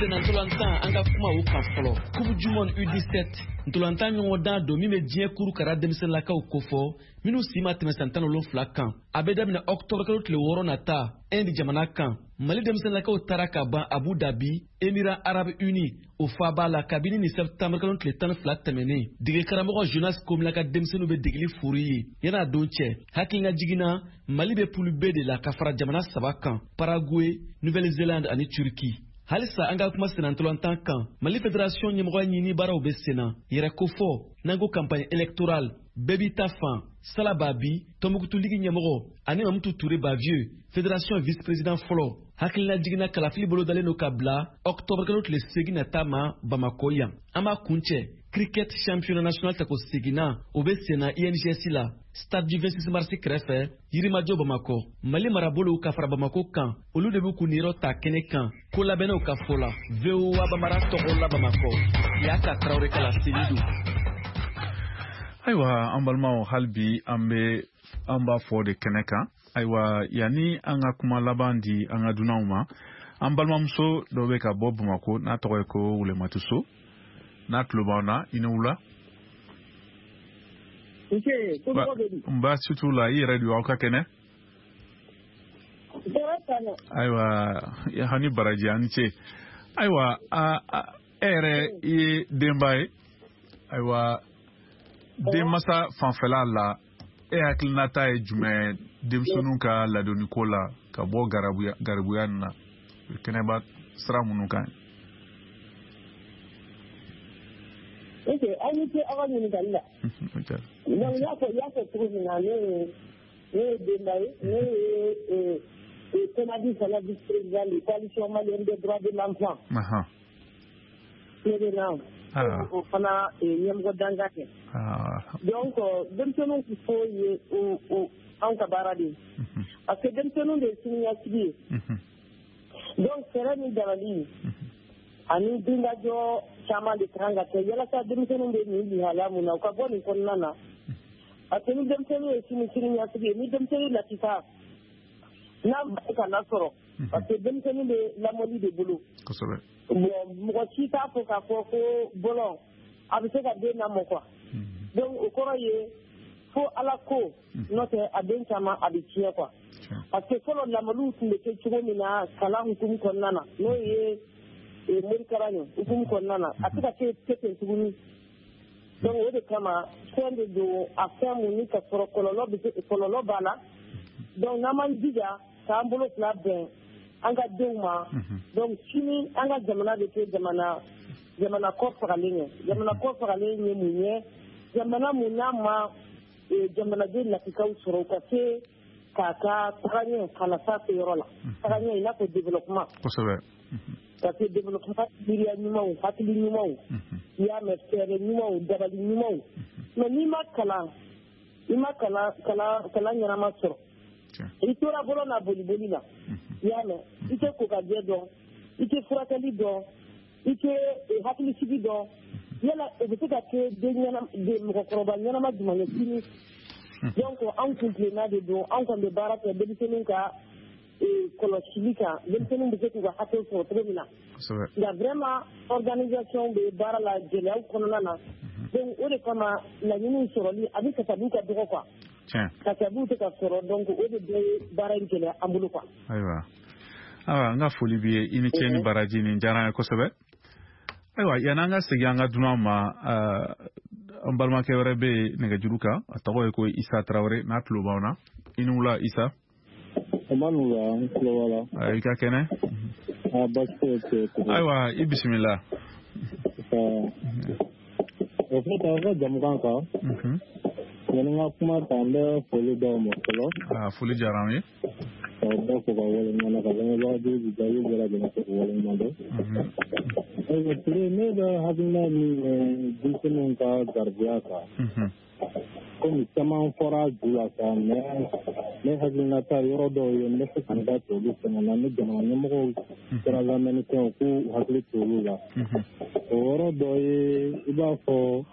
Ntolantan, an ka kuma o kan fɔlɔ. Coupe du monde U dix-sept ntolantan ɲɔgɔndan don min bɛ diɲɛ kuru kara denmisɛnninlakaw kofɔ minnu si ma tɛmɛ san tan wolonfila kan. A bɛ daminɛ octobre kalo tile wɔɔrɔ nata Inde jamana kan. Mali denmisɛnninlakaw taara ka ban Abu Dhabi, Émirats Arabes Unis, o faaba la kabini ni septembre kalo tile tan ni fila tɛmɛnen. Dege karamɔgɔ Jonas Komila ka denmisɛnninw bɛ degeli furu ye yan'a don cɛ. Hakilina jiginna, Mali bɛ poule B de la ka fara jamana saba kan: Paraguay, Nouvelle-Zélande ani Turquie. Halisa an ka kuma senna-ntolantan kan, Mali Fédération ɲɛmɔgɔya ɲini baaraw bɛ senna. Yɛrɛ kofɔ n'an ko campagne électorale, bɛɛ b'i ta fan. Sala Babi, Tombouctou Ligue ɲɛmɔgɔ, ani Mamutu Touré Bavieux, Fédération vice-président fɔlɔ, hakilina jiginna kalafili bolodalen don ka bila octobre kalo tile seegin nata ma Bamakɔ yan. An b'a kuncɛ cricket championnat national tako seginna, o bɛ senna I N G S la, stade du vingt-six mars kɛrɛfɛ, Yirimajɔ Bamakɔ. Mali marabolow ka fara Bamakɔ kan, olu de b'u kun niyɔrɔ ta kɛnɛ kan ko labɛnnaw ka fɔ la. V O A Bamara tɔgɔ la Bamakɔ, Yaka Tarawele ka laseli don. Ayiwa, an balimaw, hali bi an bɛ an b'a fɔ de kɛnɛ kan. Ayiwa, yanni an ka kuma laban di an ka dunanw ma, an balimamuso dɔ bɛ ka bɔ Bamakɔ n'a tɔgɔ ye ko Wulematuso. N'a tulo b'an na, i ni wula. N baasi t'u la, i yɛrɛ don, aw ka kɛnɛ? Ayiwa, hani baraji, an ni ce. Ayiwa, e yɛrɛ i ye denba ye. Ayiwa, denmansa fanfɛla la, e hakilinata ye jumɛn denmisɛnninw ka ladonniko la ka bɔ garibuya garibuya nin na, kɛnɛba sira minnu kan? Ok, aw ni ce aw ka ɲininkali la. Donc n y'a fɔ i y'a fɔ cogo min na, ne ye ne ye denba ye, ne ye Komadi fana vice-président de coalition malienne des droits de l'enfant. Ne bɛ na o fana ɲɛmɔgɔ danga kɛ. Donc denmisɛnninw fo ye o o anw ka baara de ye, parce que denmisɛnninw de ye siniɲɛsigi ye. Donc fɛɛrɛ ni dabali ani dingajɔ caman de kan ka kɛ yalasa denmisɛnninw bɛ nin lihala mun na, u ka bɔ nin kɔnɔna na. Parce que ni denmisɛnnin ye sini siniɲɛsigi ye, ni denmisɛnnin lakika n'a ma se ka lasɔrɔ, parce que denmisɛnnin bɛ lamɔli de bolo. Kosɛbɛ. Bon, mɔgɔ si t'a fɔ k'a fɔ ko bɔlɔn a bɛ se ka den lamɔ quoi. Donc o kɔrɔ ye fo Ala ko, n'o tɛ a den caman a bɛ tiɲɛ quoi. Parce que fɔlɔ lamɔliw tun bɛ kɛ cogo min na kalan hukumu kɔnɔna na, n'o ye morikalan ye hukumu kɔnɔna na, a tɛ ka kɛ kɛ ten tuguni. Donc o de kama fɛn de don a fɛn mun ni ka sɔrɔ kɔlɔlɔ bɛ se, kɔlɔlɔ b'a la. Donc n'an m'an jija k'an bolo fila bɛn an ka denw ma, donc sini an ka jamana bɛ kɛ jamana jamana kɔ fagalen ye. Jamana kɔ fagalen ye mun ye? Jamana mun n'a ma jamanaden lakikaw sɔrɔ u ka se k'a ka tagaɲɛ ka na s'a seyɔrɔ la. Tagaɲɛ i n'a fɔ développement. Kosɛbɛ. Parce que développement miiriya ɲumanw, hakili ɲumanw, i y'a mɛn, fɛɛrɛ ɲumanw, dabali ɲumanw. Mais n'i ma kalan, i ma kalan kalan kalan ɲɛnama sɔrɔ, i tora bolo n'a boliboli la, i y'a mɛn, i tɛ ko ka jɛ dɔn, i tɛ furakɛli dɔn, i tɛ hakilisigi dɔn. Yala o bɛ se ka kɛ den ɲɛnama, mɔgɔkɔrɔba ɲɛnama jumɛn ye sini? Donc anw kun tilenna de don, anw kɔni bɛ baara kɛ denmisɛnninw ka kɔlɔsili kan, denmisɛnninw bɛ se k'u ka hakɛw sɔrɔ cogo min na. Nka vraiment organisation bɛ baara la gɛlɛyaw kɔnɔna na. Donc o de kama laɲiniw sɔrɔli a bɛ kasabiw ka dɔgɔ quoi. Kasabiw tɛ ka sɔrɔ, donc o de bɛ baara in gɛlɛya an bolo quoi. Ayiwa, ayiwa, n ka foli b'i ye, i ni ce ni baraji, nin diyara an ye kosɛbɛ. Ayiwa, yan'an ka segin an ka dunan ma, an balimakɛ wɛrɛ bɛ yen nɛgɛjuru kan, a tɔgɔ ye ko Isa Tarawele, n'a tulo b'aw na. I ni wula Isa. N tulo b'a la. I ka kɛnɛ? Baasi foyi tɛ. Ayiwa, i bisimila. O fait, aw ka jamukan kan, yanni n ka kuma ta, n bɛ foli d'aw ma fɔlɔ. Aa, foli diyara an ye. K'aw bɛɛ fo ka waleɲuman dɔn, ka lamɛnbaga jaabi bɛɛ lajɛlen fo ka waleɲuman dɔn. Ayiwa Ture, ne bɛ hakilina min ye denmisɛnninw ka garibuya kan, komi caman fɔra ju la sa, mais ne hakilina ta yɔrɔ dɔw ye, n bɛ se ka n da to olu fana na, ni jamana ɲɛmɔgɔw kɛra lamɛnnikɛw k'u hakili to olu la. O yɔrɔ dɔ ye, i b'a fɔ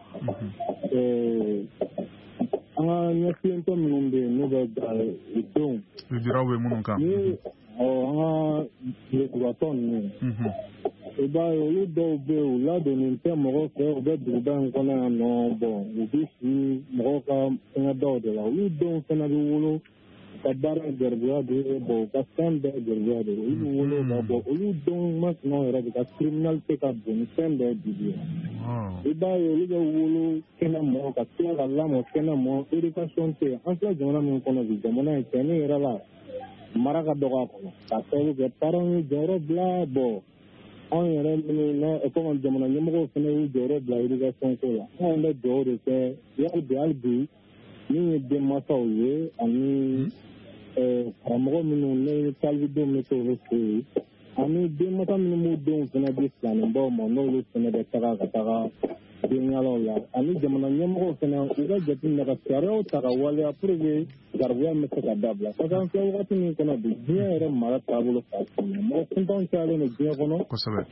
an ka ɲɛfilentɔ minnu bɛ yen n'u bɛ u denw lujuraw bɛ minnu kan, ni an ka lujuratɔ ninnu, i b'a ye olu dɔw bɛ yen, u ladonnen tɛ mɔgɔw fɛ, u bɛ duguba in kɔnɔ yan nɔ, bɔn u bɛ si mɔgɔw ka fɛngɛdaw de la, olu denw fana bɛ wolo, u ka baara ye garibuya de ye, bɔn u ka fɛn bɛɛ ye garibuya de ye, olu bɛ wolo ka bɔ, olu denw masinaw yɛrɛ de ka criminalité ka bon ni fɛn bɛɛ bi bi. I b'a ye olu bɛ wolo kɛnɛ mɔ, ka tila ka lamɔ kɛnɛ mɔ, éducation tɛ yen. An filɛ jamana min kɔnɔ bi, jamana in cɛnni yɛrɛ la, mara ka dɔgɔ a kɔnɔ, k'a sababu kɛ parents ye jɔyɔrɔ bila, bɔn anw yɛrɛ minnu na komi jamana ɲɛmɔgɔw fana y'u jɔyɔrɔ bila éducation ko la, anw bɛ dugawu de kɛ hali bi hali bi min ye denmansaw ye ani karamɔgɔ minnu ne talibidenw bɛ t'olu fɛ yen, ani denmansa minnu b'u denw fana di filaninbaw ma, n'olu fana bɛ taga ka taga denyalaw la, ani jamana ɲɛmɔgɔw fana u ka jateminɛ ka sariyaw ta ka waleya pour que garibuya bɛ se ka dabila. Parce que an filɛ wagati min kɔnɔ bi, diɲɛ yɛrɛ mara taabolo fa mɔgɔ kuntanw cayalen don diɲɛ kɔnɔ,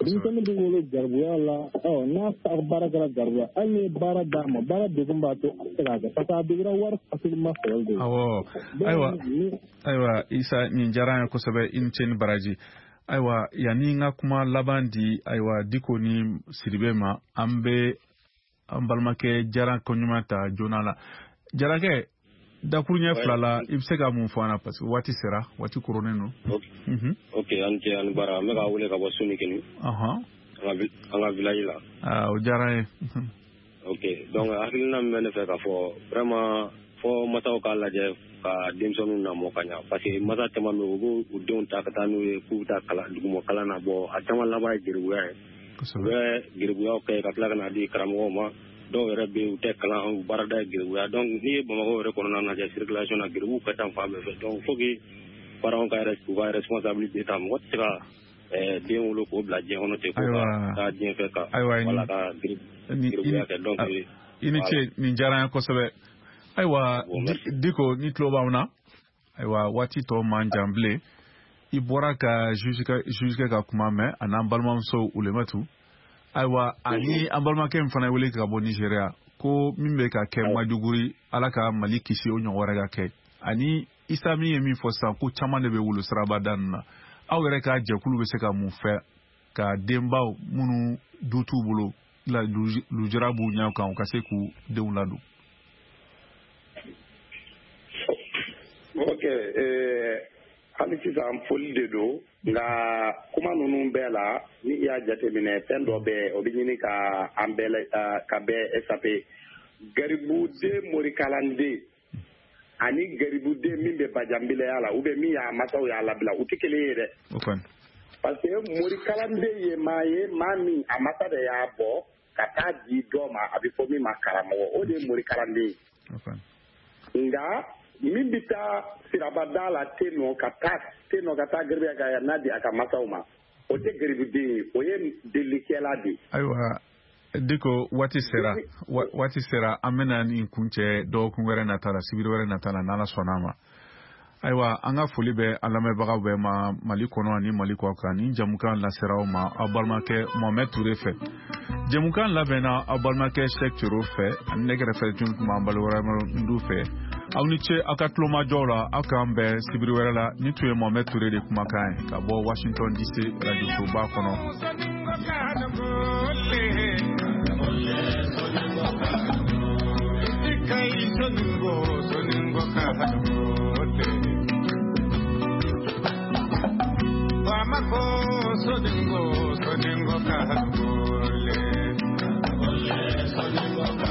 denmisɛnnin bɛ wolo garibuya la, ɔ n'a baara kɛra garibuya, hali ni ye baara d'a ma, baara degun b'a to a tɛ se k'a kɛ, parce que a degera wari facilement sɔrɔli de ye. Awɔ, ayiwa ayiwa Isa, nin diyara an ye kosɛbɛ, i ni ce ni baraji. Ayiwa, yanni n ka kuma laban di ayiwa Diko ni Sidibe ma, an bɛ an balimakɛ Jara koɲuman ta joona la. Jarakɛ, dakuruɲɛ fila la, i bɛ se ka mun fɔ an na, parce que waati sera, waati koronnen don. Ok, an cɛ ani baara, n bɛ k'a wele ka bɔ Sonikini, an ka village la. Aa, o diyara n ye. Ok, donc hakilina min bɛ ne fɛ k'a fɔ, vraiment fɔ masaw k'a lajɛ ka denmisɛnninw lamɔ ka ɲa, parce que masa caman bɛ yen, u b'u u denw ta ka taa n'u ye k'u bɛ taa kalan duguma kalan na, bɔ a caman laban ye geribuya ye. U bɛ geribuyaw kɛ ka tila ka n'a di karamɔgɔw ma, dɔw yɛrɛ bɛ yen u tɛ kalan, u baarada ye geribuya. Donc n'i ye Bamakɔ yɛrɛ kɔnɔna lajɛ circulation na, geribuw ka ca fan bɛɛ fɛ. Donc faut que parents ka u ka responsabilité ta, mɔgɔ tɛ se ka den wolo k'o bila diɲɛ kɔnɔ ten, k'o ka taa diɲɛ fɛ ka wala ka geribuya kɛ. Donc i ni ce, nin diyara n ye kosɛbɛ. Ayiwa Diko, ni tulo b'anw na, ayiwa waati tɔ man jan bilen. I bɔra ka juge ka kuma mɛn, a n'an balimamuso Ulematu. Ayiwa, ani an balimakɛ min fana wele ka bɔ Nigéria, ko min bɛ ka kɛ Maiduguri, Ala ka Mali kisi o ɲɔgɔn wɛrɛ ka kɛ. Ani Isa min ye min fɔ sisan, ko caman de bɛ wolo sirabada ninnu na. Aw yɛrɛ ka jɛkulu bɛ se ka mun fɛ ka denbaw minnu du t'u bolo, lujura b'u ɲɛ kan, u ka se k'u denw ladon? Ok, hali sisan foli de don, nka kuma ninnu bɛɛ la, ni i y'a jateminɛ, fɛn dɔ bɛ o bɛ ɲini ka an bɛɛ ka bɛɛ échapper. Garibuden morikalanden ani garibuden min bɛ bajanbilaya la, ou bien min y'a masaw y'a labila, u tɛ kelen ye dɛ. Parce que morikalanden ye maa ye, maa min a masa de y'a bɔ ka taa di dɔ ma, a bɛ fɔ min ma karamɔgɔ, o de ye morikalanden ye. Nka min bɛ taa sirabada la ten nɔ ka taa ten nɔ ka taa garibuya ka n'a di a ka masaw ma, o tɛ garibuden ye, o ye delikɛla de ye. Ayiwa Diko, waati sera, waati sera, an bɛna nin kuncɛ dɔgɔkun wɛrɛ nata la, sibiri wɛrɛ nata la, n'Ala sɔnna a ma. Ayiwa, an ka foli bɛ an lamɛnbagaw bɛɛ ma Mali kɔnɔ ani Mali kɔ kan. Nin jamukan lasera aw ma aw balimakɛ Mohamed Touré fɛ. Jamukan labɛnna aw balimakɛ Cheikh Thioro fɛ, ani ne kɛrɛfɛ tun tun b'an balimakɛ Ndu fɛ. Aw ni ce aw ka tulomajɔw la, aw k'an bɛn sibiri wɛrɛ la. Ni tun ye Mohamed Touré de kumakan ye ka bɔ Washington D C radio soba kɔnɔ. Bamako soningo soningo ka gole soningo.